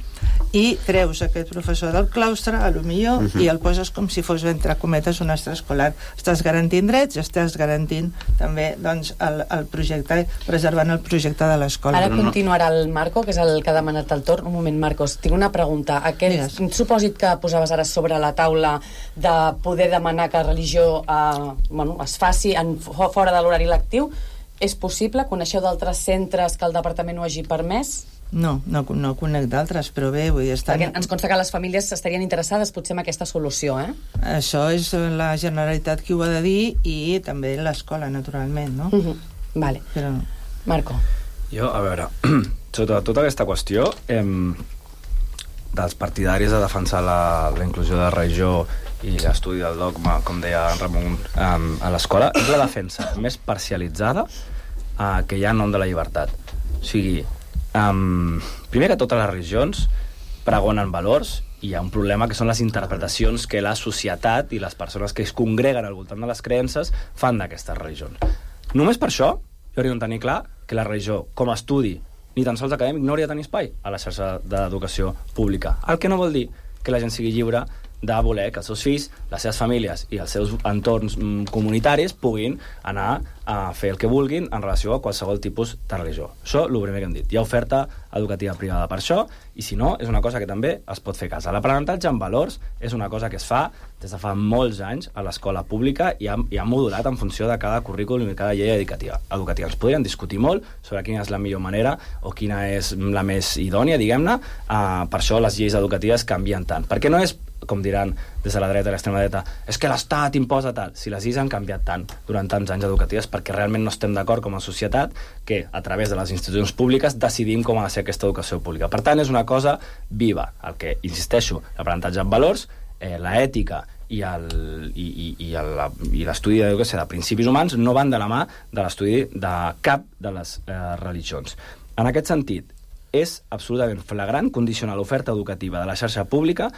I: i treus aquest professor del claustre, a lo millor,
N: Mhm.
I: i el poses com si fos, entre cometes, un extraescolar. Estàs garantint drets i estàs garantint també doncs, el, el projecte, preservant el projecte de l'escola.
H: Ara continuarà el Marco, que és el que ha demanat el torn. Un moment, Marcos, tinc una pregunta. Aquest supòsit que posaves ara sobre la taula de poder demanar que la religió eh, bueno, es faci en, fora de l'horari lectiu, és possible? Coneixeu d'altres centres que el departament ho hagi permès?
I: No, no, no conec d'altres, però bé, vull dir... Estan...
H: Perquè ens consta que les famílies estarien interessades potser en aquesta solució, eh?
I: Això és la Generalitat qui ho ha de dir i també l'escola, naturalment, no?
H: Uh -huh. Vale.
I: Però...
H: Marco.
K: Jo, a veure, sota tota aquesta qüestió eh, dels partidaris de defensar la, la inclusió de la religió i l'estudi del dogma, com deia en Ramon, eh, a l'escola, és la defensa més parcialitzada eh, que hi ha en nom de la llibertat. O sigui, eh, primer que totes les religions pregonen valors i hi ha un problema que són les interpretacions que la societat i les persones que es congreguen al voltant de les creences fan d'aquestes religions. Només per això jo hauria de tenir clar que la religió, com a estudi, ni tan sols acadèmic, no hauria de tenir espai a la xarxa d'educació pública. El que no vol dir que la gent sigui lliure de voler que els seus fills, les seves famílies i els seus entorns mm, comunitaris puguin anar a fer el que vulguin en relació a qualsevol tipus de religió. Això, el primer que hem dit. Hi ha oferta educativa privada per això, i si no, és una cosa que també es pot fer a casa. L'aprenentatge en valors és una cosa que es fa des de fa molts anys a l'escola pública i ha, i ha modulat en funció de cada currículum i cada llei educativa. educativa. Ens podrien discutir molt sobre quina és la millor manera o quina és la més idònia, diguem-ne. Uh, per això les lleis educatives canvien tant. Perquè no és, com diran des de la dreta i l'extrema dreta, és que l'Estat imposa tal. Si les lleis han canviat tant durant tants anys educatives perquè realment no estem d'acord com a societat que a través de les institucions públiques decidim com ha de ser aquesta educació pública. Per tant, és una cosa viva. El que, insisteixo, l'aprenentatge en valors, eh, l'ètica i el, i, i, i el, i l'estudi d'educació de principis humans no van de la mà de l'estudi de cap de les eh, religions. En aquest sentit, és absolutament flagrant condicionar l'oferta educativa de la xarxa pública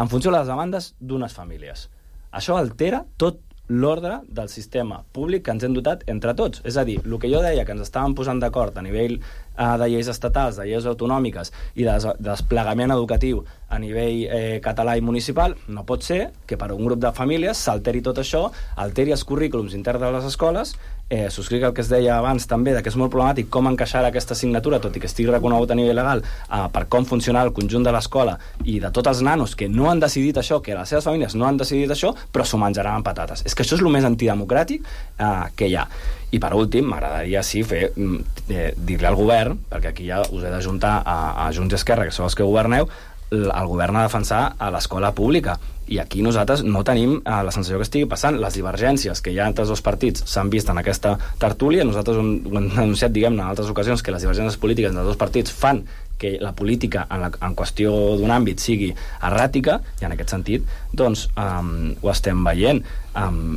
K: en funció de les demandes d'unes famílies. Això altera tot l'ordre del sistema públic que ens hem dotat entre tots. És a dir, el que jo deia que ens estàvem posant d'acord a nivell eh, de lleis estatals, de lleis autonòmiques i de des desplegament educatiu a nivell eh, català i municipal, no pot ser que per un grup de famílies s'alteri tot això, alteri els currículums interns de les escoles, eh, subscric el que es deia abans també, que és molt problemàtic com encaixar aquesta assignatura, tot i que estigui reconegut a nivell legal, eh, per com funcionar el conjunt de l'escola i de tots els nanos que no han decidit això, que les seves famílies no han decidit això, però s'ho menjaran amb patates. És que això és el més antidemocràtic eh, que hi ha. I per últim, m'agradaria sí fer eh, dir-li al govern, perquè aquí ja us he d'ajuntar a, a Junts i Esquerra, que sou els que governeu, el govern ha de defensar a l'escola pública. I aquí nosaltres no tenim eh, la sensació que estigui passant. Les divergències que hi ha entre els dos partits s'han vist en aquesta tertúlia. Nosaltres ho hem denunciat, diguem-ne, en altres ocasions, que les divergències polítiques entre els dos partits fan que la política en, la, en qüestió d'un àmbit sigui erràtica, i en aquest sentit doncs um, ho estem veient. Um,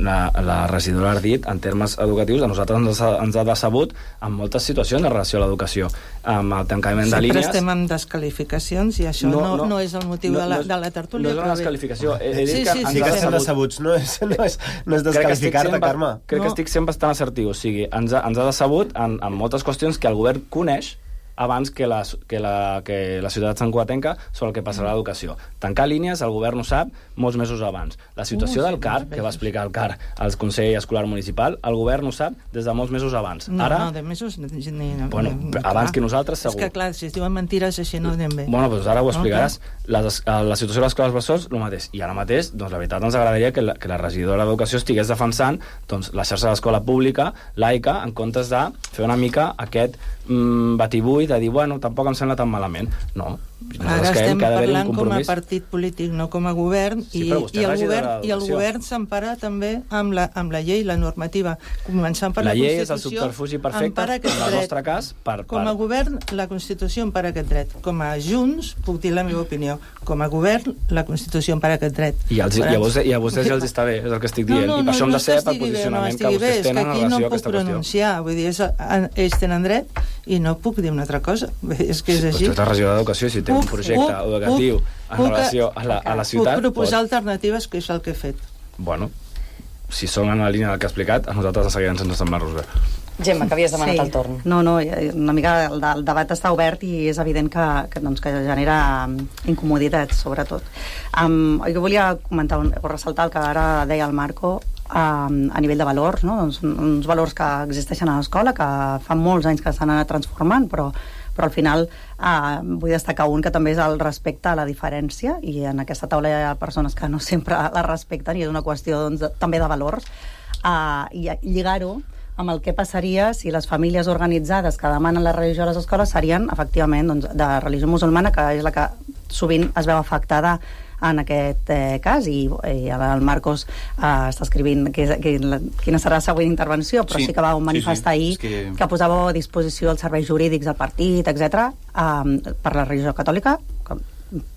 K: la, la regidora ha dit, en termes educatius, a nosaltres ens ha, ens ha decebut en moltes situacions en relació a l'educació. Amb el tancament de línies...
I: Sempre estem amb descalificacions i això no, no, no, no és el motiu no, de, la, de la tertúlia.
K: No és una descalificació. He, he dit
I: sí,
K: que
I: sí,
K: ens
I: sí,
K: ha
N: que estem decebuts, no és, no és, no és descalificar-te,
K: Carme. Crec no. que estic sent bastant assertiu. O sigui, ens ha, ens ha decebut en, en moltes qüestions que el govern coneix abans que la, que la, que la ciutat santcugatenca sobre el que passarà a l'educació. Tancar línies, el govern ho sap molts mesos abans. La situació del C A R, que va explicar el C A R al Consell Escolar Municipal, el govern ho sap des de molts mesos abans.
I: No,
K: Ara,
I: no, de mesos... Ni, ni,
K: bueno,
I: ni,
K: abans
I: clar.
K: que nosaltres, segur.
I: És que, clar, si es diuen mentires així no anem bé.
K: Bueno, doncs ara ho explicaràs.
I: Okay.
K: La, la situació de les escoles bressol, el mateix. I ara mateix, doncs, la veritat, ens agradaria que la, que la regidora d'Educació estigués defensant doncs, la xarxa d'escola pública, laica, en comptes de fer una mica aquest mm, batibull de dir, bueno, tampoc em sembla tan malament. No.
I: Ara estem parlant com a partit polític, no com a govern, sí, i, i, el govern i el govern s'empara també amb la, amb la llei, la normativa. Començant per la,
K: la llei
I: Constitució,
K: és el subterfugi perfecte, en el nostre cas, per, per...
I: Com a govern, la Constitució empara aquest dret. Com a Junts, puc dir la meva opinió. Com a govern, la Constitució empara aquest dret.
K: I, els, i, a vostès, i a vostès ja els està bé, és el que estic dient.
I: No, no,
K: I per
I: no,
K: això hem de ser
I: no
K: pel posicionament bé, no que vostès tenen en relació a aquesta qüestió. No pronunciar,
I: vull dir, és, ells tenen dret i no puc dir una altra cosa. És que és
K: sí,
I: així.
K: Però tu ets la regidora d'Educació, si té un projecte puc, educatiu puc, en puc, relació a la, a la ciutat...
I: Puc proposar
K: pot...
I: alternatives, que és el que he fet.
K: Bueno, si són en la línia del que ha explicat, a nosaltres ens seguirem sense semblar-nos bé.
H: Gemma, que havies demanat sí. el torn.
L: No, no, una mica el, el debat està obert i és evident que, que, doncs, que genera incomoditats, sobretot. Um, jo volia comentar un, o ressaltar el que ara deia el Marco, um, a nivell de valors, no? doncs, uns valors que existeixen a l'escola, que fa molts anys que s'han anat transformant, però, però al final uh, vull destacar un que també és el respecte a la diferència, i en aquesta taula hi ha persones que no sempre la respecten, i és una qüestió doncs, de, també de valors, uh, i lligar-ho amb el que passaria si les famílies organitzades que demanen la religió a les escoles serien, efectivament, doncs, de religió musulmana, que és la que sovint es veu afectada en aquest eh, cas, i, i el Marcos eh, està escrivint que, que, la, quina serà la següent intervenció, però sí, sí que va manifestar sí, sí. ahir que... que posava a disposició els serveis jurídics del partit, etcètera, eh, per la religió catòlica, que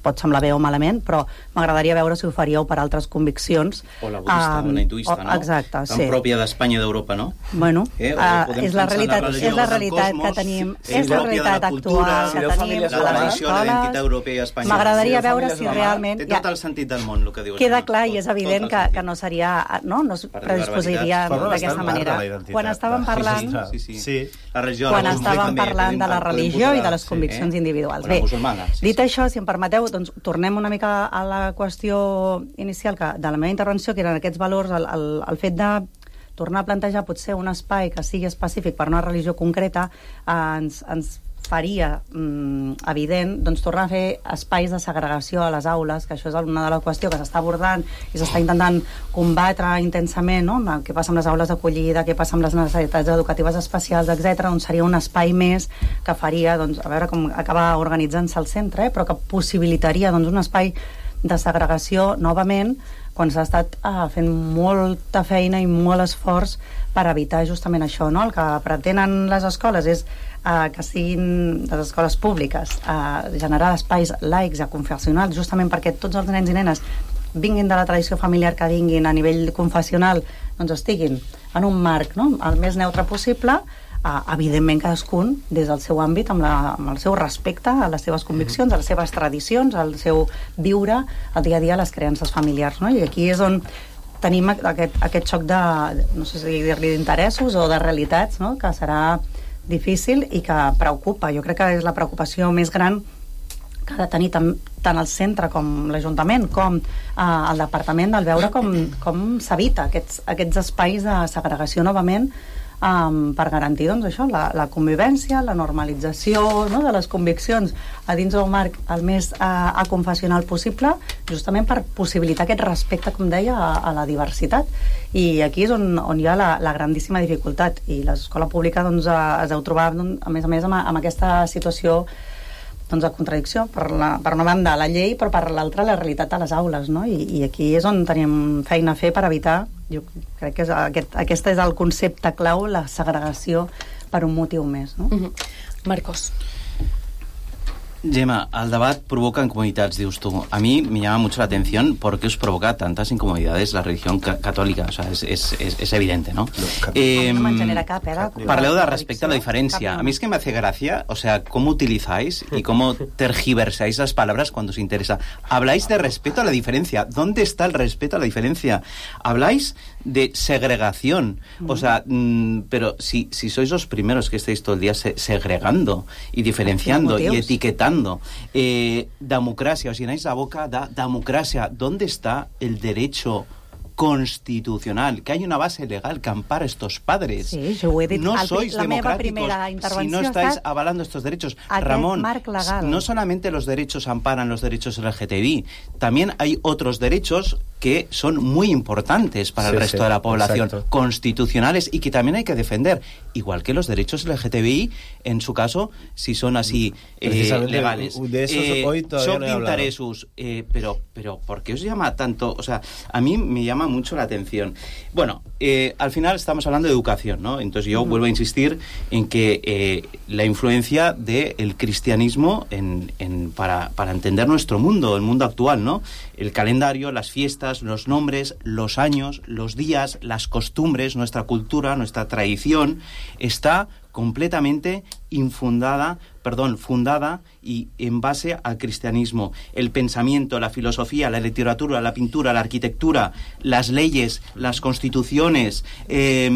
L: pot semblar bé o malament, però m'agradaria veure si ho faríeu per altres conviccions.
M: O la budista, um, o la hinduista,
L: o,
M: no?
L: Exacte,
M: tan
L: sí.
M: pròpia d'Espanya i d'Europa, no?
L: Bueno,
M: eh,
L: uh, és la realitat, la és la realitat que tenim, sí, és la realitat la cultura, actual que tenim a les escoles. M'agradaria veure si realment...
M: Té tot el sentit del món, el que dius.
L: Queda clar i és evident que, que no seria... No, no es predisposiria d'aquesta manera. Quan estàvem parlant... Quan estàvem parlant de la religió i de les conviccions individuals. Bé, dit això, si em permeteu, doncs tornem una mica a la qüestió inicial que, de la meva intervenció, que eren aquests valors, el, el, el fet de tornar a plantejar potser un espai que sigui específic per una religió concreta, eh, ens, ens faria mm, evident doncs, tornar a fer espais de segregació a les aules, que això és una de les qüestions que s'està abordant i s'està intentant combatre intensament, no? Què passa amb les aules d'acollida, què passa amb les necessitats educatives especials, etcètera. Doncs seria un espai més que faria, doncs, a veure com acaba organitzant-se el centre, eh? Però que possibilitaria doncs, un espai de segregació novament quan s'ha estat eh, fent molta feina i molt esforç per evitar justament això, no? El que pretenen les escoles és eh, que siguin les escoles públiques eh, generar espais laics i confessionals, justament perquè tots els nens i nenes vinguin de la tradició familiar que vinguin a nivell confessional, doncs estiguin en un marc, no? El més neutre possible, Uh, evidentment cadascun des del seu àmbit amb, la, amb el seu respecte a les seves conviccions, a les seves tradicions, al seu viure el dia a dia a les creences familiars, no? I aquí és on tenim aquest, aquest xoc de, no sé si dir-li d'interessos o de realitats, no? Que serà difícil i que preocupa. Jo crec que és la preocupació més gran que ha de tenir tant, tant el centre com l'Ajuntament com eh, el Departament, del veure com, com s'evita aquests, aquests espais de segregació novament, Um, per garantir doncs, això, la, la convivència, la normalització, no, de les conviccions a dins del marc el més uh, aconfessional possible, justament per possibilitar aquest respecte, com deia, a, a la diversitat. I aquí és on, on hi ha la, la grandíssima dificultat, i l'escola pública doncs, es deu trobar, doncs, a més a més, amb, amb aquesta situació doncs, de contradicció, per, la, per una banda la llei, però per l'altra la realitat a les aules, no? I, i aquí és on tenim feina a fer per evitar, jo crec que és aquest, aquest és el concepte clau, la segregació per un motiu més, no?
H: Mm-hmm. Marcos.
M: Gemma, el debat provoca incomodidades, dius tú. A mí me llama mucho la atención por qué os provoca tantas incomodidades la religión ca católica. O sea, es, es, es, es evidente, ¿no?
L: Eh, no genera cap, eh,
M: parleu de respecte a la diferencia. A mí es que me hace gracia, o sea, cómo utilizáis y cómo tergiversáis las palabras cuando os interesa. Habláis de respeto a la diferencia. ¿Dónde está el respeto a la diferencia? Habláis de segregación. O sea, mm, pero si, si sois los primeros que estáis todo el día se, segregando y diferenciando y etiquetando, eh, democracia, os llenáis la boca de democracia. ¿Dónde está el derecho constitucional? Que hay una base legal que ampara estos padres.
L: Sí, jo ho he dit.
M: No
L: El,
M: sois
L: la meva
M: democráticos
L: primera intervenció
M: si no estáis
L: ha
M: avalando estos derechos.
L: aquest
M: Ramón,
L: marc legal.
M: no solamente los derechos amparan los derechos L G T B I, también hay otros derechos que son muy importantes para
N: sí,
M: el resto
N: sí,
M: de la población,
N: exacto.
M: constitucionales y que también hay que defender, igual que los derechos L G T B I, en su caso, si son así eh, legales.
N: De esos
M: eh,
N: hoy todavía
M: son
N: no he hablado.
M: intereses, eh, pero, pero ¿por qué os llama tanto? O sea, a mí me llama mucho la atención. Bueno, eh, al final estamos hablando de educación, ¿no? Entonces yo uh-huh. vuelvo a insistir en que eh, la influencia del cristianismo en, en, para, para entender nuestro mundo, el mundo actual, ¿no? El calendario, las fiestas, los nombres, los años, los días, las costumbres, nuestra cultura, nuestra tradición, está completamente infundada, perdón, fundada y en base al cristianismo. El pensamiento, la filosofía, la literatura, la pintura, la arquitectura, las leyes, las constituciones, eh,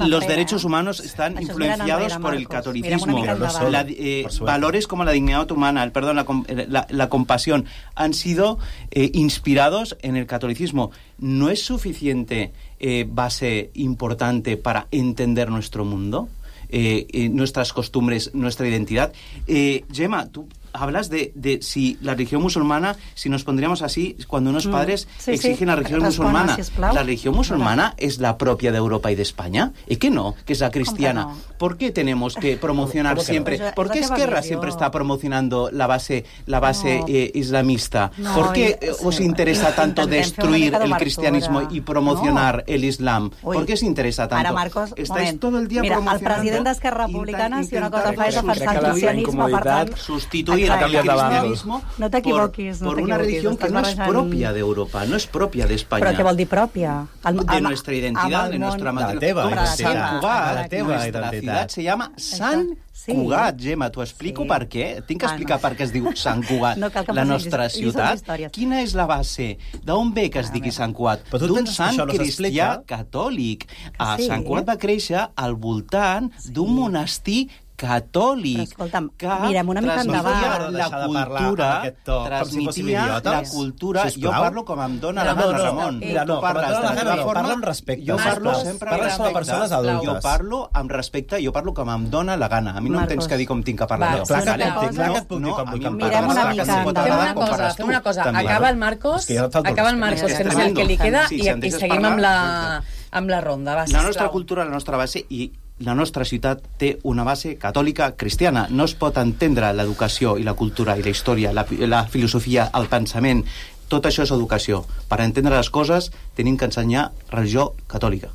M: los derechos humanos están
L: Això
M: influenciados
L: enrere,
M: por el
L: Marcos.
M: catolicismo.
L: Mirem una mica
M: La, eh, valores como la dignidad humana, el perdón, la, la, la compasión, han sido eh, inspirados en el catolicismo. ¿No es suficiente eh, base importante para entender nuestro mundo? Eh, eh, nuestras costumbres, nuestra identidad. Eh, Gemma, tú hablas de, de si la religión musulmana, si nos pondríamos así, cuando unos padres
L: mm, sí,
M: exigen
L: sí.
M: la religión
L: Respon,
M: musulmana.
L: sisplau.
M: ¿La religión musulmana es la propia de Europa y de España? ¿Y qué no? Que es la cristiana.
L: no?
M: ¿Por qué tenemos que promocionar
N: ¿Cómo que no?
M: siempre?
L: Pues,
M: ¿Por qué
L: es la
M: Esquerra
L: teva
M: siempre
L: visió.
M: está promocionando la base, la base
L: No.
M: eh, islamista?
L: No,
M: ¿Por qué
L: i-
M: eh, os
L: sí,
M: interesa tanto
L: intentem fer una
M: destruir
L: mica
M: el
L: d'obertura.
M: cristianismo y promocionar el islam?
L: Ui.
M: ¿Por qué os interesa tanto?
L: Ara, Marcos,
M: Estáis
L: moment.
M: todo el día
L: Mira, el
M: promocionando...
L: president d'Esquerra Republicana, si una cosa fa és
K: Crec que
L: defensar el
K: la
L: cristianisme, per tant...
M: sustituir
L: Exacte.
M: el cristianismo
L: No t'equivoquis,
M: por,
L: no
M: por una
L: t'equivoquis,
M: religión que
L: estàs
M: no es
L: barrejant-
M: propia de Europa, no es propia de España.
L: Però què vol dir pròpia? El,
M: De
L: el-
M: nuestra identidad,
L: amb
M: de
L: el
M: nuestra
L: món-
N: De la teva
L: Però
N: identitat.
M: Sant Cugat,
N: De la teva
M: nuestra
N: identitat.
M: ciudad se llama Sant
L: Sí.
M: Cugat, Gemma. T'ho explico
L: Sí.
M: per què? Tinc que
L: Ah,
M: explicar
L: no.
M: per què es diu Sant Cugat,
L: No cal que em
M: la
L: facis
M: nostra
L: lliçons
M: ciutat.
L: d'història.
M: Quina és la base? D'on ve que es digui Sant Cugat?
N: Però tu
M: D'un
N: penses que
M: sant
N: això no
M: cristià
N: s'explica?
M: catòlic. Ah,
L: sí.
M: Sant Cugat va créixer al voltant d'un monestir catòlic.
L: Però escolta'm,
M: que
L: mirem una mica
M: transmetia
L: endavant.
M: la
N: Deixar de parlar
M: cultura,
N: amb aquest to, com si fóssim
M: transmetia
N: idiotes.
M: la cultura.
N: Sisplau.
M: Jo parlo com em dóna la
N: No,
M: gana,
N: no,
M: Ramon.
N: mira, no,
M: Tu
N: com et
M: parles
N: dóna la
M: de la
N: gana,
M: teva
N: no,
M: forma.
N: parla amb respecte,
M: Jo parlo
N: sisplau.
M: sempre
N: Parles
M: amb
N: com a
M: respecte.
N: persones adultes.
M: Jo parlo amb respecte, jo parlo com em dóna la gana. A mi no em
L: Marcos.
M: tens que dir com tinc que parlar
L: Va,
M: jo.
L: clar que
M: Vale?
L: et puc- clar
N: que et puc dir
M: No,
N: com
M: a
N: vull
M: mi
N: que
M: em
N: em
L: Mirem
M: parles,
L: una
M: clar que
L: mica
M: sí, pot
L: endavant.
H: Fem
M: agradar
H: una
M: com
H: cosa,
M: parles
H: fem
M: tu.
H: una cosa.
M: També.
H: Acaba el Marcos,
N: És que jo et falto el
H: acaba el
N: respecte.
H: Marcos,
M: És
H: que és el
M: tremendo.
H: que li queda,
M: Sí,
H: i,
M: si em
H: i
M: deixes
H: seguim
M: parlar,
H: amb la, amb la ronda. Va,
M: La
H: sisplau.
M: nostra cultura, la nostra base i la nostra ciutat té una base catòlica cristiana. No es pot entendre l'educació i la cultura i la història, la, la filosofia, el pensament. Tot això és educació. Per entendre les coses tenim que ensenyar religió catòlica.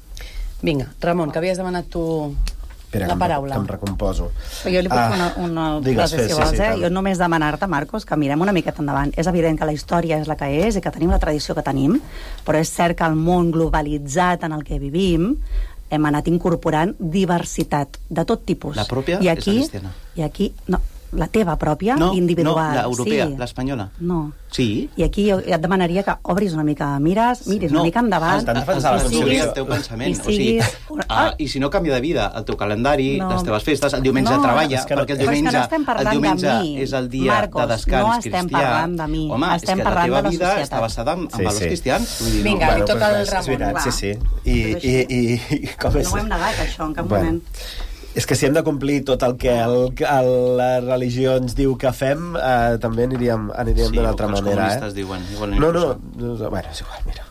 H: Vinga, Ramon, que havies demanat tu
N: Espera,
H: la
N: que em-
H: paraula.
N: Que em recomposo.
L: Jo li puc
N: Ah,
L: fer una, una
N: digues,
L: frase,
N: fes,
L: si
N: sí,
L: vols,
N: sí,
L: eh?
N: tant.
L: Jo només demanar-te, Marcos, que mirem una miqueta endavant. És evident que la història és la que és i que tenim la tradició que tenim, però és cert que el món globalitzat en el que vivim hem anat incorporant diversitat de tot tipus.
M: La pròpia
L: I
M: és
L: aquí,
M: la cristiana.
L: I aquí, no, la teva pròpia,
M: No,
L: individual.
M: no, l'europea,
L: sí.
M: l'espanyola.
L: No.
M: Sí.
L: I aquí jo et demanaria que obris una mica, mires, miris
M: No,
L: una mica endavant.
N: estan defensant la
L: i
N: Constitució.
L: siguis-
M: el teu pensament.
L: i
M: O sigui,
L: siguis una-
M: ah, I si no canvia de vida, el teu calendari,
L: No.
M: les teves festes, el diumenge
L: No,
M: treballa,
N: és que no-
M: perquè el
N: però és que
M: diumenge,
L: no estem
M: el
L: parlant
M: diumenge
L: de mi.
M: és el dia
L: Marcos,
M: de descans
L: no estem
M: cristià.
L: parlant de mi.
M: Home,
L: Estem
M: és que
L: parlant
M: la teva
L: de la
M: vida
L: societat.
M: està basada en, en
N: Sí,
M: valors
N: sí.
M: cristians. Vull dir,
H: Vinga,
M: no,
H: li toca
N: pues
H: al
N: res, és
H: Ramon,
N: veritat,
L: va.
N: sí, sí. I, i, i, i com és?
L: No ho hem negat, això, en cap
N: Bueno.
L: moment.
N: És que si hem de complir tot el que el, el, la religió ens diu que fem, eh, també aniríem, aniríem
M: Sí,
N: d'una
M: o
N: altra
M: que els
N: manera.
M: comunistes
N: Eh?
M: diuen, igual
N: no, no, no, bueno, és igual, mira.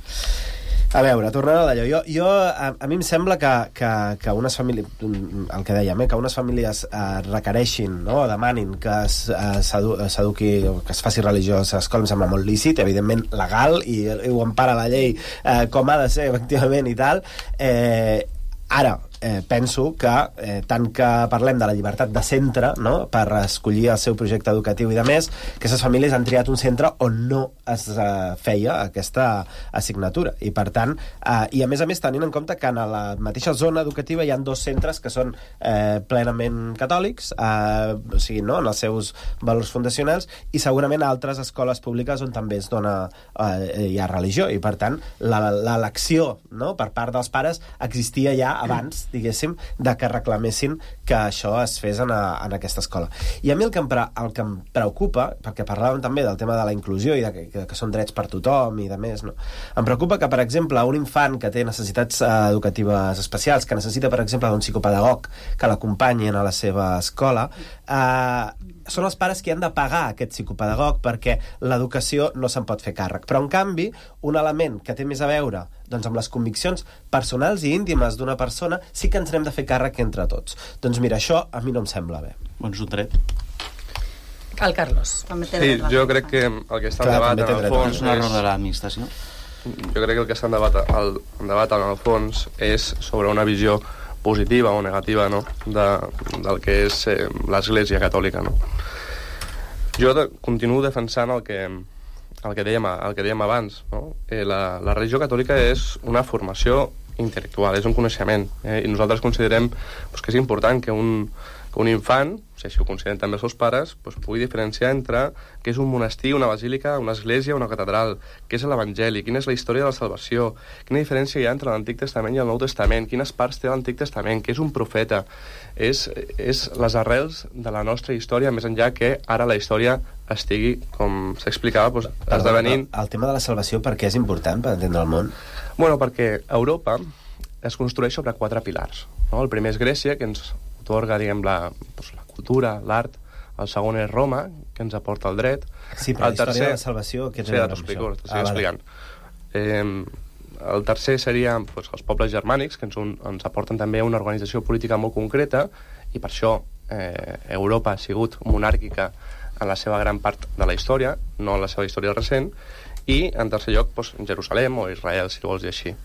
N: A veure, tornant a d'allò, jo, jo a, a mi em sembla que, que, que unes famílies, el que dèiem, eh, que unes famílies eh, requereixin, no, demanin que es, eh, s'edu, s'eduqui o que es faci religió a l'escola, em sembla molt lícit, evidentment legal, i, i ho empara la llei eh, com ha de ser, efectivament, i tal. Eh, ara, eh, penso que eh, tant que parlem de la llibertat de centre, no?, per escollir el seu projecte educatiu i de més, aquestes famílies han triat un centre on no es eh, feia aquesta assignatura. I per tant, eh, i a més a més tenint en compte que en la mateixa zona educativa hi ha dos centres que són eh, plenament catòlics, eh, o sigui, no?, en els seus valors fundacionals, i segurament a altres escoles públiques on també es dona, eh, hi ha religió, i per tant l'elecció, no?, per part dels pares existia ja abans, diguéssim, de que reclamessin que això es fes en, a, en aquesta escola. I a mi el que, em, el que em preocupa, perquè parlàvem també del tema de la inclusió i de que, que, que són drets per tothom i de més, no?, em preocupa que, per exemple, un infant que té necessitats eh, educatives especials, que necessita, per exemple, d'un psicopedagog que l'acompanyin a la seva escola, eh, són els pares que han de pagar aquest psicopedagog perquè l'educació no se'n pot fer càrrec. Però, en canvi, un element que té més a veure doncs, amb les conviccions personals i íntimes d'una persona sí que ens n'hem de fer càrrec entre tots. Doncs mira, això a mi no em sembla bé.
M: Doncs un dret.
H: El Carlos.
J: Sí, jo crec que el que està en debat en el fons
M: és un error de l'administració.
J: Jo crec que el que està en debat, el, en debat en el fons és sobre una visió positiva o negativa, no?, de, del que és eh, l'Església Catòlica, no? Jo de, continuo defensant el que, el que, dèiem, el que dèiem abans, no? Eh, la, la religió catòlica és una formació intel·lectual, és un coneixement, eh, i nosaltres considerem pues, que és important que un, que un infant, si així ho consideren també els seus pares, pues, pugui diferenciar entre què és un monestir, una basílica, una església, una catedral, què és l'Evangeli, quina és la història de la salvació, quina diferència hi ha entre l'Antic Testament i el Nou Testament, quines parts té l'Antic Testament, què és un profeta, és, és les arrels de la nostra història, més enllà que ara la història estigui, com s'explicava, pues, esdevenint...
N: El tema de la salvació per què és important per entendre el món?
J: Bueno, perquè Europa es construeix sobre quatre pilars, no? El primer és Grècia, que ens otorga, diguem, la, doncs, la cultura, l'art. El segon és Roma, que ens aporta el dret.
N: Sí, però el la història tercer... de la salvació... Què
J: sí, t'explico, t'estic ah, explicant. Vale. Eh, el tercer seria doncs, els pobles germànics, que ens, un, ens aporten també una organització política molt concreta, i per això eh, Europa ha sigut monàrquica en la seva gran part de la història, no en la seva història recent, i, en tercer lloc, doncs, Jerusalem o Israel, si vols dir així.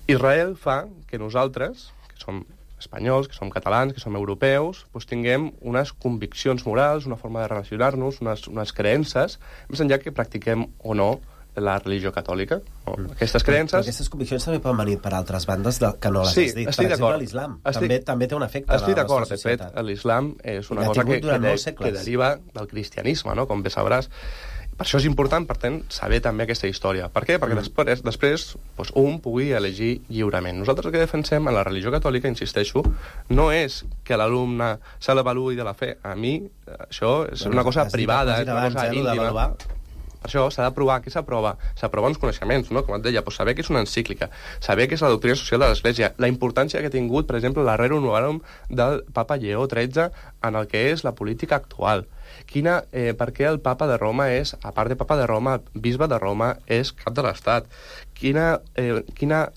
J: Israel fa que nosaltres, que som espanyols, que som catalans, que som europeus, doncs tinguem unes conviccions morals, una forma de relacionar-nos, unes, unes creences, més enllà que practiquem o no la religió catòlica. No? Aquestes creences...
N: Però aquestes conviccions també poden venir per altres bandes de, que no les
J: sí,
N: has dit. Per exemple, l'islam. També, també té un efecte
J: estic a la nostra societat. De fet, l'islam és una cosa que, que, de, que deriva del cristianisme, no? Com bé sabràs. Per això és important, per tant, saber també aquesta història. Per què? Perquè mm. després, després doncs, un pugui elegir lliurement. Nosaltres el que defensem en la religió catòlica, insisteixo, no és que l'alumne se l'avaluï de la fe. A mi, això és bueno, una cosa privada, és una cosa íntima. Per això s'ha de provar. Què s'aprova? S'aprova uns coneixements, no? Com et deia, doncs saber què és una encíclica, saber què és la doctrina social de l'Església, la importància que ha tingut, per exemple, la Rerum Novarum del papa Lleó tretze en el que és la política actual. Quina, eh, per què el papa de Roma és, a part de papa de Roma, bisbe de Roma, és cap de l'Estat? Quina, eh, quina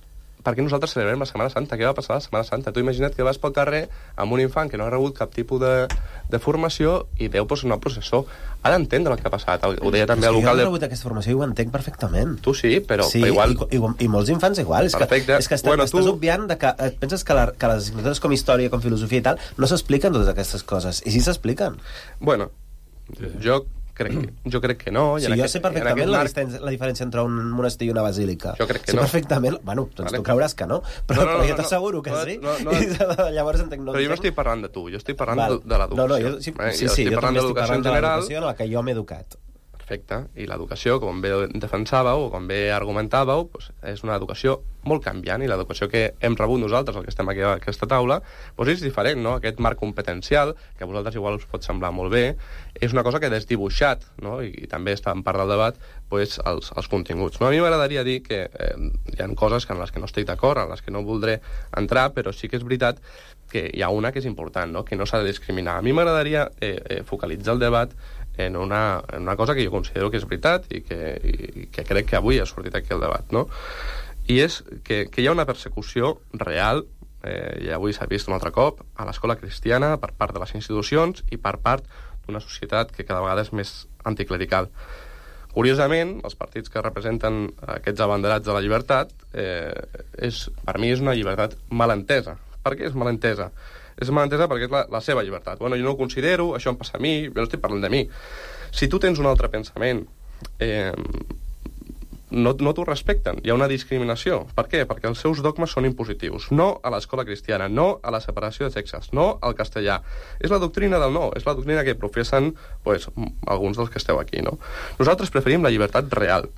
J: per què nosaltres celebrem la Setmana Santa? Què va passar la Setmana Santa? Tu imagina't que vas pel carrer amb un infant que no ha rebut cap tipus de, de formació i veu pues, una processó. Ha d'entendre el que ha passat. Ho deia també el local...
N: Jo no he rebut aquesta formació i ho entenc perfectament.
J: Tu sí, però,
N: sí,
J: però igual...
N: I, i, i molts infants igual. És Perfecte. que, és que estàs, bueno, estàs tu... obviant de que et penses que, la, que les assignatures com història, com filosofia i tal, no s'expliquen totes aquestes coses. I sí s'expliquen.
J: Bueno, jo... Crec que, jo crec que no.
N: Sí, jo marc, sé perfectament la, marc... la diferència entre un monestir i una basílica.
J: Jo crec que
N: sé
J: no.
N: perfectament... Bueno, doncs vale. Tu creuràs que no, però, no, no, no, però jo t'asseguro que no, sí. No, no, no. Llavors entenc... No
J: però jo no estic parlant de tu, jo estic parlant Val. de l'educació.
N: No, no, jo, sí,
J: eh?
N: sí, sí, jo, jo també estic parlant de l'educació en la que jo m'he educat.
J: Perfecte. I l'educació, com bé defensàveu o com bé argumentàveu, doncs és una educació molt canviant i l'educació que hem rebut nosaltres, el que estem aquí a aquesta taula, doncs és diferent, no? Aquest marc competencial, que a vosaltres igual us pot semblar molt bé, és una cosa que ha desdibuixat, no? I, i també està en part del debat, doncs, els, els continguts. No? A mi m'agradaria dir que eh, hi ha coses en les que no estic d'acord, en les que no voldré entrar, però sí que és veritat que hi ha una que és important, no? Que no s'ha de discriminar. A mi m'agradaria eh, eh, focalitzar el debat en una, en una cosa que jo considero que és veritat i que, i que crec que avui ha sortit aquí el debat, no? I és que, que hi ha una persecució real, eh, i avui s'ha vist un altre cop, a l'escola cristiana per part de les institucions i per part d'una societat que cada vegada és més anticlerical. Curiosament, els partits que representen aquests abanderats de la llibertat, eh, és, per mi és una llibertat mal entesa, Per què és malentesa? És malentesa perquè és la, la seva llibertat. Bueno, jo no ho considero, això em passa a mi, jo no estic parlant de mi. Si tu tens un altre pensament, eh, no, no t'ho respecten, hi ha una discriminació. Per què? Perquè els seus dogmes són impositius. No a l'escola cristiana, no a la separació de sexes, no al castellà. És la doctrina del no, és la doctrina que professen pues, alguns dels que esteu aquí. No? Nosaltres preferim la llibertat real.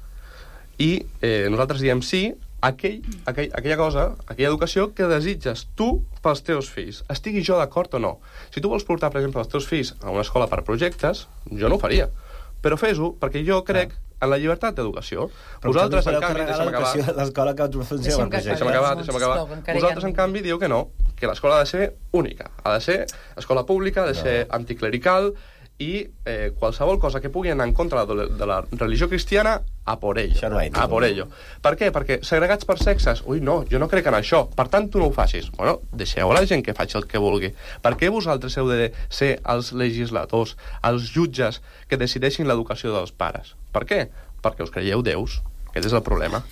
J: I eh, nosaltres diem sí a aquell, aquell, aquella cosa, aquella educació que desitges tu pels teus fills. Estigui jo d'acord o no. Si tu vols portar, per exemple, els teus fills a una escola per projectes, jo no ho faria. Però fes-ho perquè jo crec en la llibertat d'educació.
N: Però
J: vosaltres, en
N: canvi,
J: deixa'm acabar...
N: L'escola que funciona per projectes.
J: Deixa'm acabar, deixa'm acabar. Vosaltres, en canvi, dieu que no, que l'escola ha de ser única. Ha de ser escola pública, ha de ser anticlerical, i eh, qualsevol cosa que pugui anar en contra de la, de la religió cristiana, a por ello. No a por ello. Per què? Perquè segregats per sexes, ui, no, jo no crec en això, per tant tu no ho facis. Bueno, deixeu a la gent que faci el que vulgui. Per què vosaltres heu de ser els legisladors, els jutges que decideixin l'educació dels pares? Per què? Perquè us creieu déus. Aquest és el problema.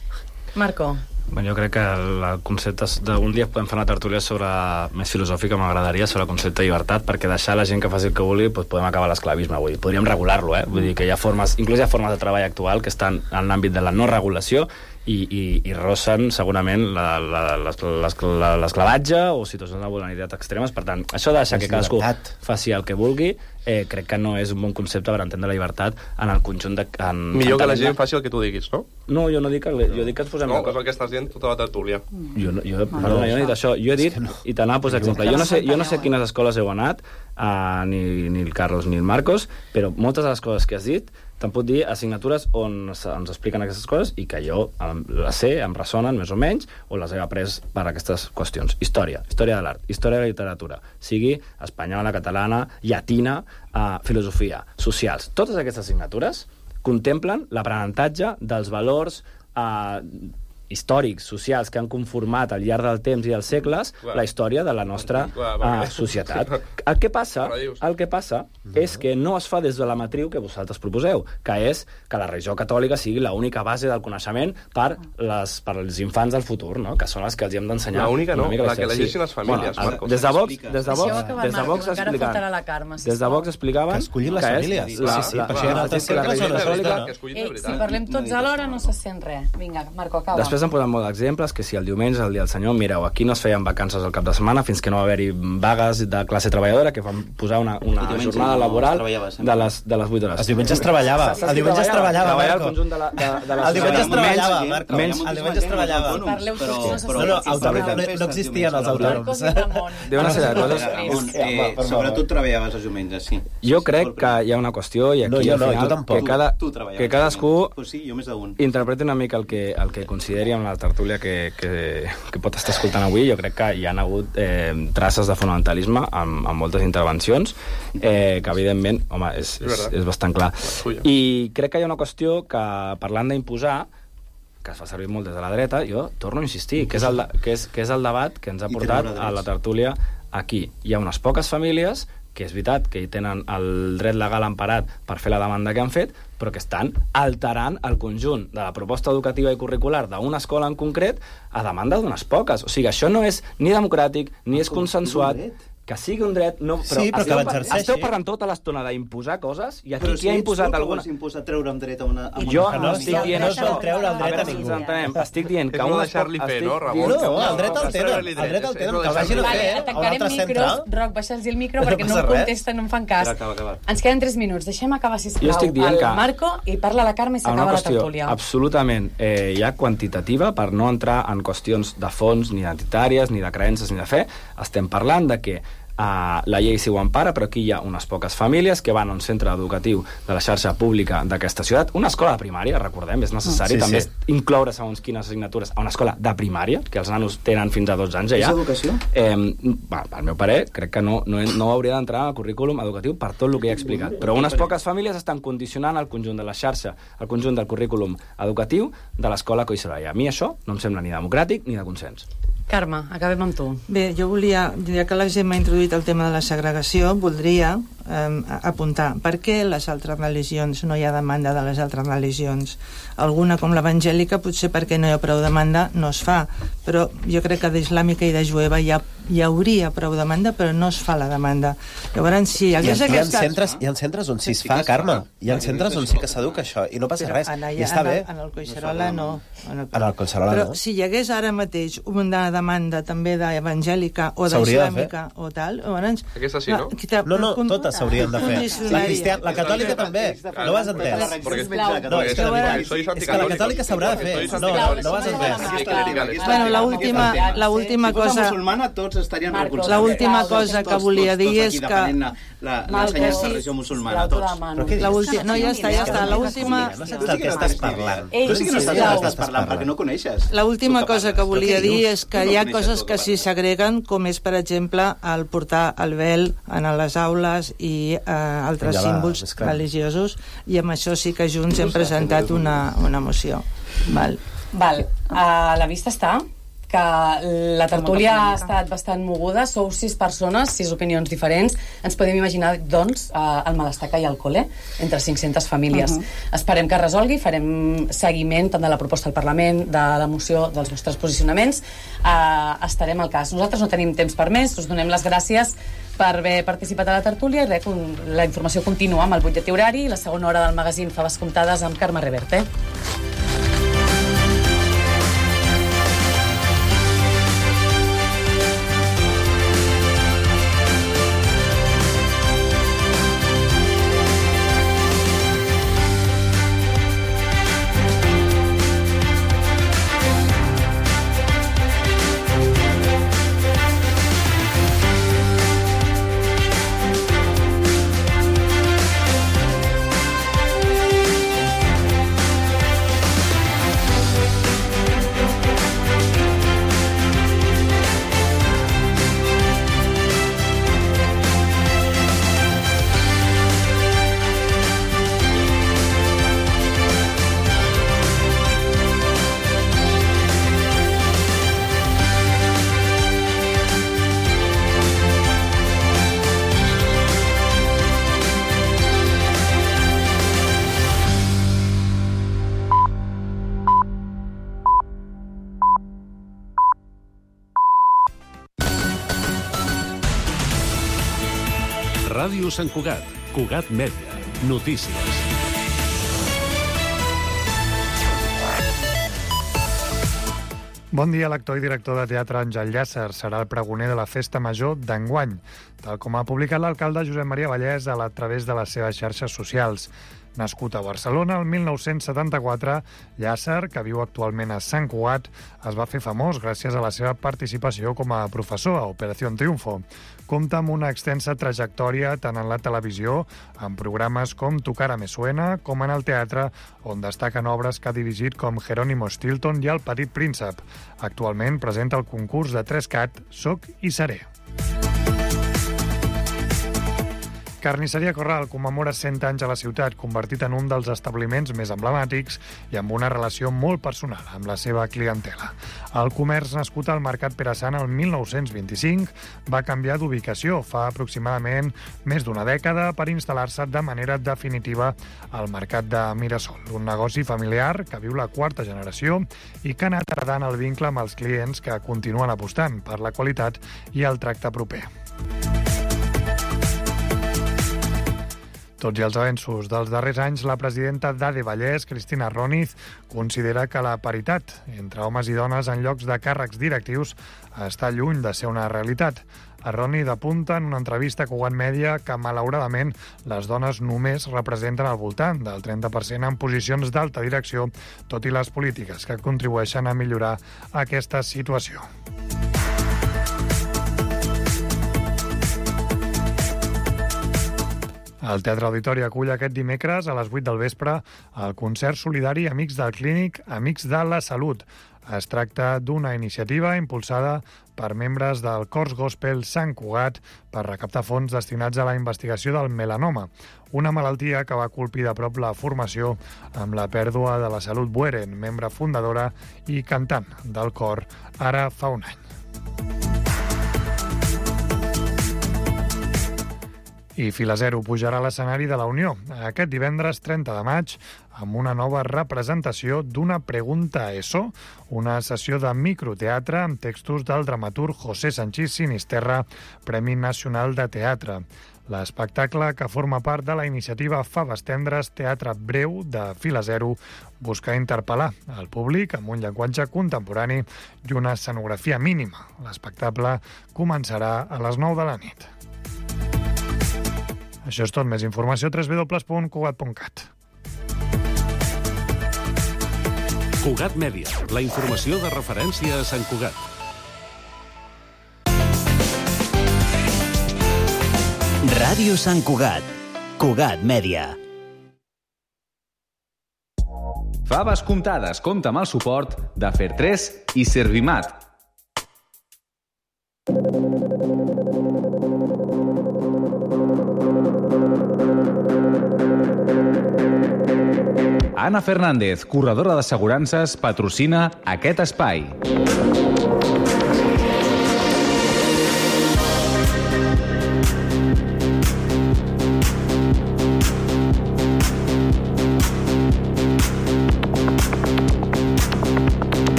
H: Marco.
K: Bueno, jo crec que el concepte d'un dia podem fer una tertúlia sobre més filosòfica, m'agradaria, sobre el concepte de llibertat, perquè deixar la gent que faci el que vulgui doncs podem acabar l'esclavisme. Vull dir, podríem regular-lo, eh? Vull dir que hi ha formes, inclús hi ha formes de treball actual que estan en l'àmbit de la no regulació i, i, i rossen segurament l'esclavatge o situacions de vulnerabilitat extremes. Per tant, això de deixar que cadascú faci el que vulgui, eh, crec que no és un bon concepte per entendre la llibertat en el conjunt de... En,
J: Millor que la gent faci el que tu diguis, no?
K: No, jo no dic que, jo dic que ens posem...
J: No, és el que estàs dient tota la tertúlia.
K: Jo, no, jo, perdona, jo no he dit això. Jo he dit, i t'anava a posar exemple, jo no sé, jo no sé quines escoles heu anat, uh, ni, ni el Carlos ni el Marcos, però moltes de les coses que has dit te'n pot dir assignatures on ens expliquen aquestes coses i que jo les sé, em ressonen més o menys, o les he après per aquestes qüestions. Història, història de l'art, història de la literatura, sigui espanyola, catalana, llatina, uh, filosofia, socials. Totes aquestes assignatures contemplen l'aprenentatge dels valors uh, històrics, socials, que han conformat al llarg del temps i dels segles la història de la nostra uh, societat. El que passa, el que passa és que no es fa des de la matriu que vosaltres proposeu, que és que la religió catòlica sigui l'única base del coneixement per, les, per als infants del futur, no? Que són les que els hem d'ensenyar.
J: L'única no, la que elegeixin les famílies,
K: bueno, Marcos. Des de Vox, des de Vox, des de Vox explicaven, des de Vox explicaven
N: que escollin les famílies.
K: La, sí, sí,
N: la, per la, la, la,
K: catòlica...
H: Eh, si parlem tots alhora no se sent res. Vinga, Marco, acaba.
K: Després em posen molt d'exemples, que si el diumenge, el dia del Senyor, mireu, aquí no es feien vacances al cap de setmana fins que no va haver-hi vagues de classe treballadora que van posar una, una jornada laboral de les, de les vuit hores.
N: Els diumenges treballava. El diumenge es treballava, Marco.
K: El de la, de, de la
N: el diumenge es treballava, Marco.
K: Menys,
N: el diumenge es treballava.
H: Parleu tots, no se
N: no, no, no existien els autònoms.
K: Diu una sèrie de coses.
M: Sobretot treballaves els diumenges, sí.
K: Jo crec que hi ha una qüestió i aquí al final que, cada, que cadascú interpreti una mica el que, el que consideri amb la tertúlia que, que, que pot estar escoltant avui. Jo crec que hi ha hagut eh, traces de fonamentalisme en, en moltes intervencions eh, que evidentment, home, és, és, és bastant clar. I crec que hi ha una qüestió que, parlant d'imposar, que es fa servir molt des de la dreta, jo torno a insistir, que és el, que és, que és el debat que ens ha portat a la tertúlia aquí. Hi ha unes poques famílies que és veritat que hi tenen el dret legal emparat per fer la demanda que han fet, però que estan alterant el conjunt de la proposta educativa i curricular d'una escola en concret a demanda d'unes poques. O sigui, això no és ni democràtic, ni és consensuat. Que sigui un dret, no, però,
N: sí, però
K: esteu,
N: que l'exerceixi.
K: Esteu parlant tota l'estona d'imposar coses i aquí qui ha imposat alguna...
M: Però si ets tu que treure un dret a una... A
K: jo
N: no, estic dient
K: no
N: això. No treure el dret a ningú.
K: Entenem. Estic dient que...
J: És no deixar-li fer, no, Ramon?
N: No, el dret al tenen. El dret al tenen. Que el vagin a fer a un altre centre.
H: Roc, baixa'ls el micro perquè no em contesten, no em fan cas. Ens queden tres minuts. Deixem acabar, sisplau, el Marco i parla la Carme i s'acaba la tertúlia.
K: Absolutament ja quantitativa, per no entrar en qüestions de fons, ni identitàries, ni de creences, ni de fe. Estem parlant de que Uh, la llei sí ho empara, però aquí hi ha unes poques famílies que van a un centre educatiu de la xarxa pública d'aquesta ciutat, una escola de primària, recordem, és necessari sí, també sí. incloure segons quines assignatures a una escola de primària, que els nanos tenen fins a dotze anys ja.
M: És educació?
K: Eh, va, al meu parer, crec que no, no, no hauria d'entrar al currículum educatiu per tot el que he explicat, però unes poques famílies estan condicionant el conjunt de la xarxa, el conjunt del currículum educatiu de l'escola Collserola. A mi això no em sembla ni democràtic ni de consens.
H: Carme, acabem amb tu.
I: Bé, jo volia, ja que la gent m'ha introduït el tema de la segregació, voldria eh, apuntar per què les altres religions no hi ha demanda de les altres religions. Alguna, com l'evangèlica, potser perquè no hi ha prou demanda, no es fa, però jo crec que d'islàmica i de jueva hi ha hi hauria prou demanda, però no es fa la demanda. Llavors, si hi hagués
N: hi ha,
I: aquest...
N: Hi ha, centres, hi ha centres on sí es fa, Carme. Hi ha centres on sí que s'educa això, i no passa res. I està bé.
I: En el Collserola no.
N: En el Collserola no.
I: Però si hi hagués ara mateix una demanda també d'evangèlica o d'islàmica o tal...
J: Aquesta sí, no?
N: No, no, totes s'haurien de fer. La cristiana, la catòlica també. No ho has entès. No, és que la catòlica s'haurà de fer. No, no ho has entès.
I: Bueno, l'última la última cosa...
M: musulmana, tots estarien recolzats.
I: L'última cosa que volia dir és que...
M: L'ensenyança de religió musulmana, tots.
I: No, ja està, ja està. L'última...
N: No saps del que estàs parlant.
M: Tu sí que no saps del que estàs parlant, perquè no coneixes.
I: L'última cosa que volia dir és que hi ha coses que s'hi segreguen, com és, per exemple, el portar el vel en les aules i altres símbols religiosos, i amb això sí que junts hem presentat una moció. Val.
H: Val. A la vista està que la tertúlia ha estat bastant moguda, sou sis persones, sis opinions diferents. Ens podem imaginar, doncs, el malestar que hi ha al col·le entre cinc-centes famílies. Uh -huh. Esperem que es resolgui, farem seguiment tant de la proposta al Parlament, de la moció, dels vostres posicionaments. Uh, estarem al cas. Nosaltres no tenim temps per més, us donem les gràcies per haver participat a la tertúlia i res, la informació continua amb el butlletí horari i la segona hora del magazín Faves Comptades amb Carme Reverte.
A: Ràdio Sant Cugat, Cugat Mèdia, notícies.
B: Bon dia, l'actor i director de teatre Àngel Llàcer serà el pregoner de la Festa Major d'enguany, tal com ha publicat l'alcalde Josep Maria Vallès a través de les seves xarxes socials. Nascut a Barcelona el mil nou-cents setanta-quatre, Llàcer, que viu actualment a Sant Cugat, es va fer famós gràcies a la seva participació com a professor a Operació Triunfo. Compta amb una extensa trajectòria tant en la televisió, en programes com Tu cara me suena, com en el teatre, on destaquen obres que ha dirigit com Jerónimo Stilton i El petit príncep. Actualment presenta el concurs de tres cat Soc i seré. Carnisseria Corral commemora cent anys a la ciutat, convertit en un dels establiments més emblemàtics i amb una relació molt personal amb la seva clientela. El comerç, nascut al Mercat Pere Sant el mil nou-cents vint-i-cinc, va canviar d'ubicació fa aproximadament més d'una dècada per instal·lar-se de manera definitiva al Mercat de Mirasol, un negoci familiar que viu la quarta generació i que ha anat heredant el vincle amb els clients que continuen apostant per la qualitat i el tracte proper. Tots i els avenços dels darrers anys, la presidenta d'A D E Vallès, Cristina Roniz, considera que la paritat entre homes i dones en llocs de càrrecs directius està lluny de ser una realitat. A Roniz apunta en una entrevista a Cugat Mèdia que, malauradament, les dones només representen al voltant del trenta per cent en posicions d'alta direcció, tot i les polítiques que contribueixen a millorar aquesta situació. El Teatre Auditori acull aquest dimecres a les vuit del vespre el concert solidari Amics del Clínic, Amics de la Salut. Es tracta d'una iniciativa impulsada per membres del Cors Gospel Sant Cugat per recaptar fons destinats a la investigació del melanoma, una malaltia que va colpir de prop la formació amb la pèrdua de la Salut Bueren, membre fundadora i cantant del cor ara fa un any. I Fila Zero pujarà a l'escenari de la Unió aquest divendres trenta de maig amb una nova representació d'Una pregunta a ESO, una sessió de microteatre amb textos del dramaturg José Sanchís Sinisterra, Premi Nacional de Teatre. L'espectacle, que forma part de la iniciativa Faves Tendres Teatre Breu de Fila Zero, busca interpel·lar el públic amb un llenguatge contemporani i una escenografia mínima. L'espectacle començarà a les nou de la nit. Això és tot. Més informació a w w w punt cugat punt cat.
A: Cugat Mèdia, la informació de referència a Sant Cugat.
C: Ràdio Sant Cugat. Cugat Mèdia.
E: Faves comptades compta amb el suport de Fer tres i Servimat. Anna Fernández, corredora d'assegurances, patrocina aquest espai.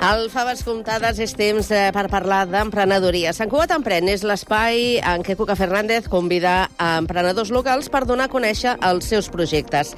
O: Al Faves Comptades és temps per parlar d'emprenedoria. Sant Cugat Emprèn és l'espai en què Cuca Fernández convida a emprenedors locals per donar a conèixer els seus projectes.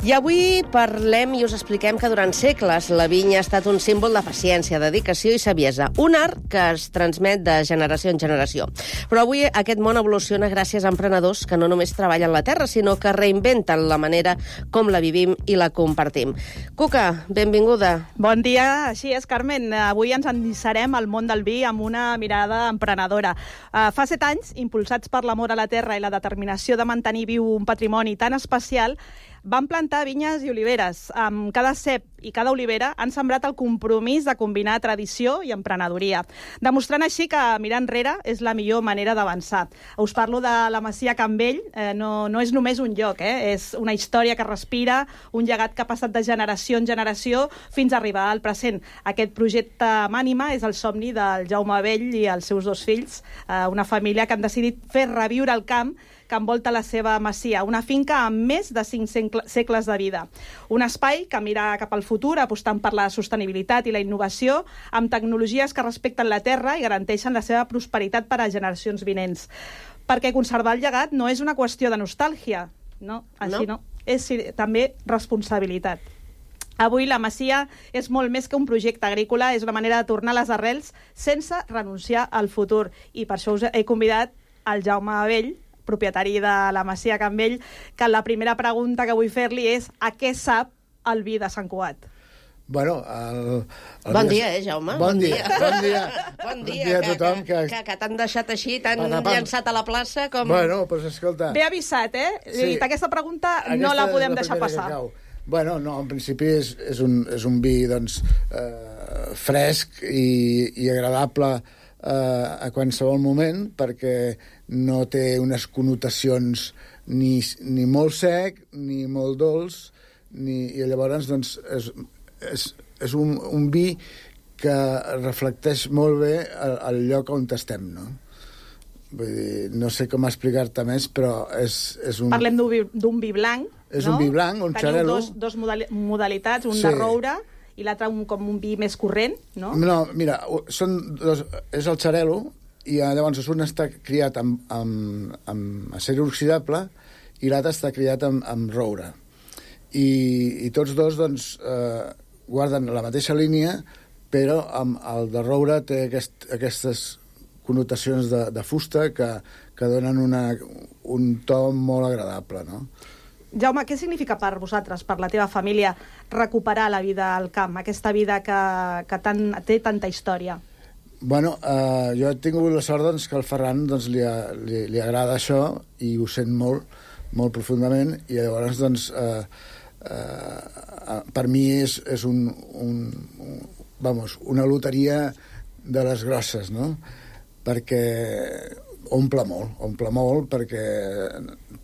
O: I avui parlem i us expliquem que durant segles la vinya ha estat un símbol de paciència, dedicació i saviesa, un art que es transmet de generació en generació. Però avui aquest món evoluciona gràcies a emprenedors que no només treballen la terra, sinó que reinventen la manera com la vivim i la compartim. Cuca, benvinguda.
P: Bon dia, així és, Carmen. Avui ens endinçarem al món del vi amb una mirada emprenedora. Uh, fa set anys, impulsats per l'amor a la terra i la determinació de mantenir viu un patrimoni tan especial, van plantar vinyes i oliveres. Amb cada cep i cada olivera han sembrat el compromís de combinar tradició i emprenedoria, demostrant així que mirar enrere és la millor manera d'avançar. Us parlo de la Masia Can Vell, eh, no, no és només un lloc, eh? És una història que respira, un llegat que ha passat de generació en generació fins a arribar al present. Aquest projecte Mànima és el somni del Jaume Vell i els seus dos fills, eh, una família que han decidit fer reviure el camp que envolta la seva masia, una finca amb més de cinc segles de vida. Un espai que mira cap al futur, apostant per la sostenibilitat i la innovació, amb tecnologies que respecten la terra i garanteixen la seva prosperitat per a generacions vinents. Perquè conservar el llegat no és una qüestió de nostàlgia, no, així no, no. És també responsabilitat. Avui la Masia és molt més que un projecte agrícola, és una manera de tornar les arrels sense renunciar al futur. I per això us he convidat al Jaume Vell, propietari de la Masia Can Vell, que la primera pregunta que vull fer-li és a què sap el vi de Sant Cugat?
Q: Bueno, el, el
O: bon dia, eh, Jaume?
Q: Bon, bon dia, dia. Bon dia.
O: Bon dia,
Q: dia a
O: que,
Q: tothom.
O: Que, que, que t'han deixat així, t'han llançat a la plaça com...
Q: Bueno, doncs pues, escolta...
P: Ben avisat, eh? Sí. Dit, aquesta pregunta aquesta no la podem deixar passar.
Q: Bueno, no, en principi és, és, un, és un vi, doncs, eh, fresc i, i agradable eh, a qualsevol moment, perquè no té unes connotacions ni, ni molt sec, ni molt dolç, ni, i llavors, doncs, és, és, és un, un vi que reflecteix molt bé el, el lloc on estem, no? Vull dir, no sé com explicar-te més, però és, és un...
P: Parlem d'un vi, vi blanc,
Q: és
P: no?
Q: un vi blanc, un xarel·lo.
P: Teniu dos, dos modalitats, un sí. de roure i l'altre un, com un vi més corrent, no?
Q: No, mira, són dos, és el xarel·lo, i llavors un està criat amb, amb, amb acer inoxidable i l'altre està criat amb, amb roure. I, i tots dos, doncs, eh, guarden la mateixa línia, però amb el de roure té aquest, aquestes connotacions de, de fusta que, que donen una, un to molt agradable, no?
P: Jaume, què significa per vosaltres, per la teva família, recuperar la vida al camp, aquesta vida que, que tan, té tanta història?
Q: Bueno, eh, jo he tingut la sort doncs, que al Ferran doncs, li, a, li, li agrada això i ho sent molt, molt profundament, i llavors doncs, eh, eh, per mi és, és un, un, un, vamos, una loteria de les grosses, no? Perquè omple molt, omple molt, perquè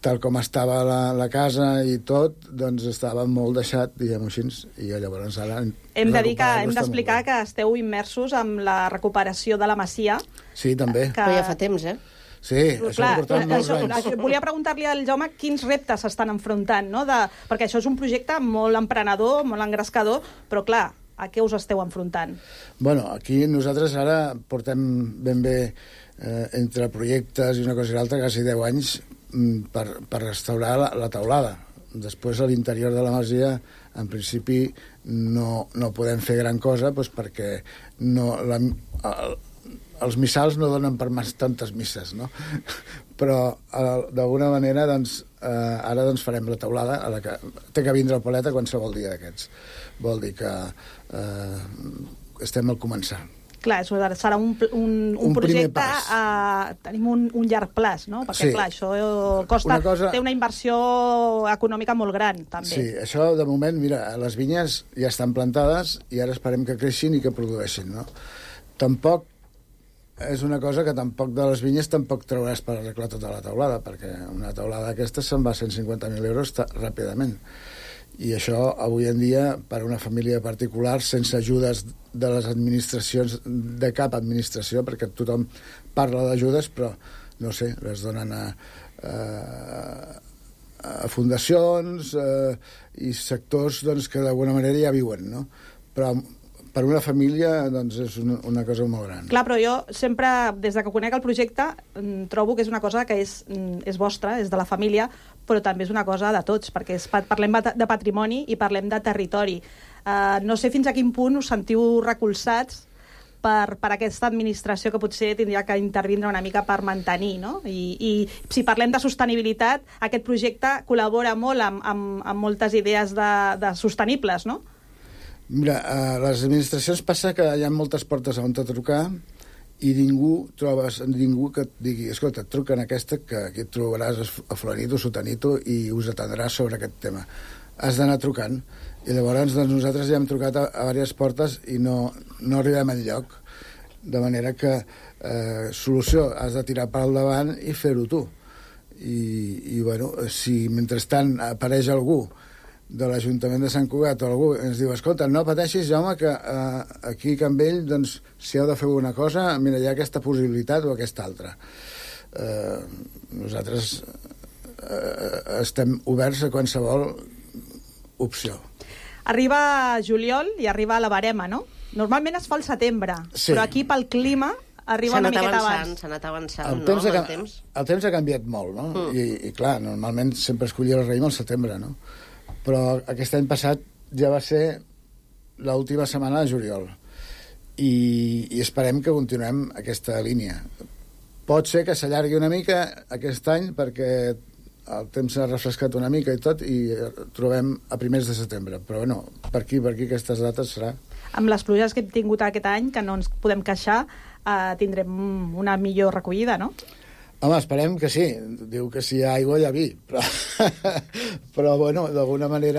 Q: tal com estava la, la casa i tot, doncs estava molt deixat, diguem-ho així, i llavors ara...
P: Hem de dir que hem d'explicar que esteu immersos en la recuperació de la masia.
Q: Sí, també.
O: Que... Però ja fa temps, eh?
Q: Sí, això
P: clar,
Q: ho portem molts
P: això,
Q: anys.
P: Volia preguntar-li al Jaume quins reptes s'estan enfrontant, no? De, perquè això és un projecte molt emprenedor, molt engrescador, però clar, a què us esteu enfrontant?
Q: Bueno, aquí nosaltres ara portem ben bé eh, entre projectes i una cosa i l'altra quasi deu anys mm, per, per restaurar la, la teulada. Després a l'interior de la masia en principi no, no podem fer gran cosa doncs, perquè no, la, el, els missals no donen per mas tantes misses, no? Però d'alguna manera doncs, eh, ara doncs, farem la teulada a la que té que vindre el paleta qualsevol dia d'aquests. Vol dir que eh, estem al començar.
P: Clar, serà un, un, un, un projecte, eh, tenim un, un llarg plaç, no? Perquè, sí. clar, això costa, una cosa... té una inversió econòmica molt gran, també.
Q: Sí, això, de moment, mira, les vinyes ja estan plantades i ara esperem que creixin i que produeixin, no? Tampoc és una cosa que tampoc de les vinyes tampoc trauràs per arreglar tota la teulada, perquè una teulada d'aquesta se'n va a cent cinquanta mil euros ràpidament. I això, avui en dia, per a una família particular, sense ajudes de les administracions, de cap administració, perquè tothom parla d'ajudes, però, no sé, les donen a, a, a fundacions eh, i sectors doncs, que d'alguna manera ja viuen, no? Però per una família doncs, és una, una cosa molt gran.
P: Clar, però jo sempre, des de que conec el projecte, trobo que és una cosa que és, és vostra, és de la família, però també és una cosa de tots, perquè és, parlem de patrimoni i parlem de territori. Uh, no sé fins a quin punt us sentiu recolzats per, per aquesta administració que potser tindria que intervindre una mica per mantenir, no? I, i si parlem de sostenibilitat, aquest projecte col·labora molt amb, amb, amb moltes idees de, de sostenibles, no?
Q: Mira, a les administracions passa que hi ha moltes portes on te trucar i ningú trobes ningú que et digui, escolta, et truca en aquesta que aquí et trobaràs a Florenito, Sotanito i us atendràs sobre aquest tema. Has d'anar trucant. I llavors doncs, nosaltres ja hem trucat a, a diverses portes i no, no arribem enlloc. De manera que eh, solució, has de tirar per al davant i fer-ho tu. I, i bueno, si mentrestant apareix algú de l'Ajuntament de Sant Cugat o algú ens diu, escolta, no pateixis, Jaume, que eh, aquí a Campbell, doncs, si heu de fer una cosa, mira, hi ha aquesta possibilitat o aquesta altra. Eh, nosaltres eh, estem oberts a qualsevol opció.
P: Arriba juliol i arriba la barema, no? Normalment es fa al setembre, sí. Però aquí pel clima arriba una miqueta abans.
O: S'ha anat avançant,
Q: el
O: no?
Q: Temps
O: El
Q: ha,
O: temps.
Q: el temps ha canviat molt, no?
O: Mm.
Q: I, I clar, normalment sempre es collia el raïm al setembre, no? Però aquest any passat ja va ser l'última setmana de juliol i, i esperem que continuem aquesta línia. Pot ser que s'allargui una mica aquest any perquè el temps s'ha refrescat una mica i tot i trobem a primers de setembre, però bueno, per aquí, per aquí aquestes dates serà.
P: Amb les pluges que hem tingut aquest any, que no ens podem queixar, eh, tindrem una millor recollida, no?
Q: Home, esperem que sí. Diu que si hi ha aigua hi ha vi, però, però bueno, d'alguna manera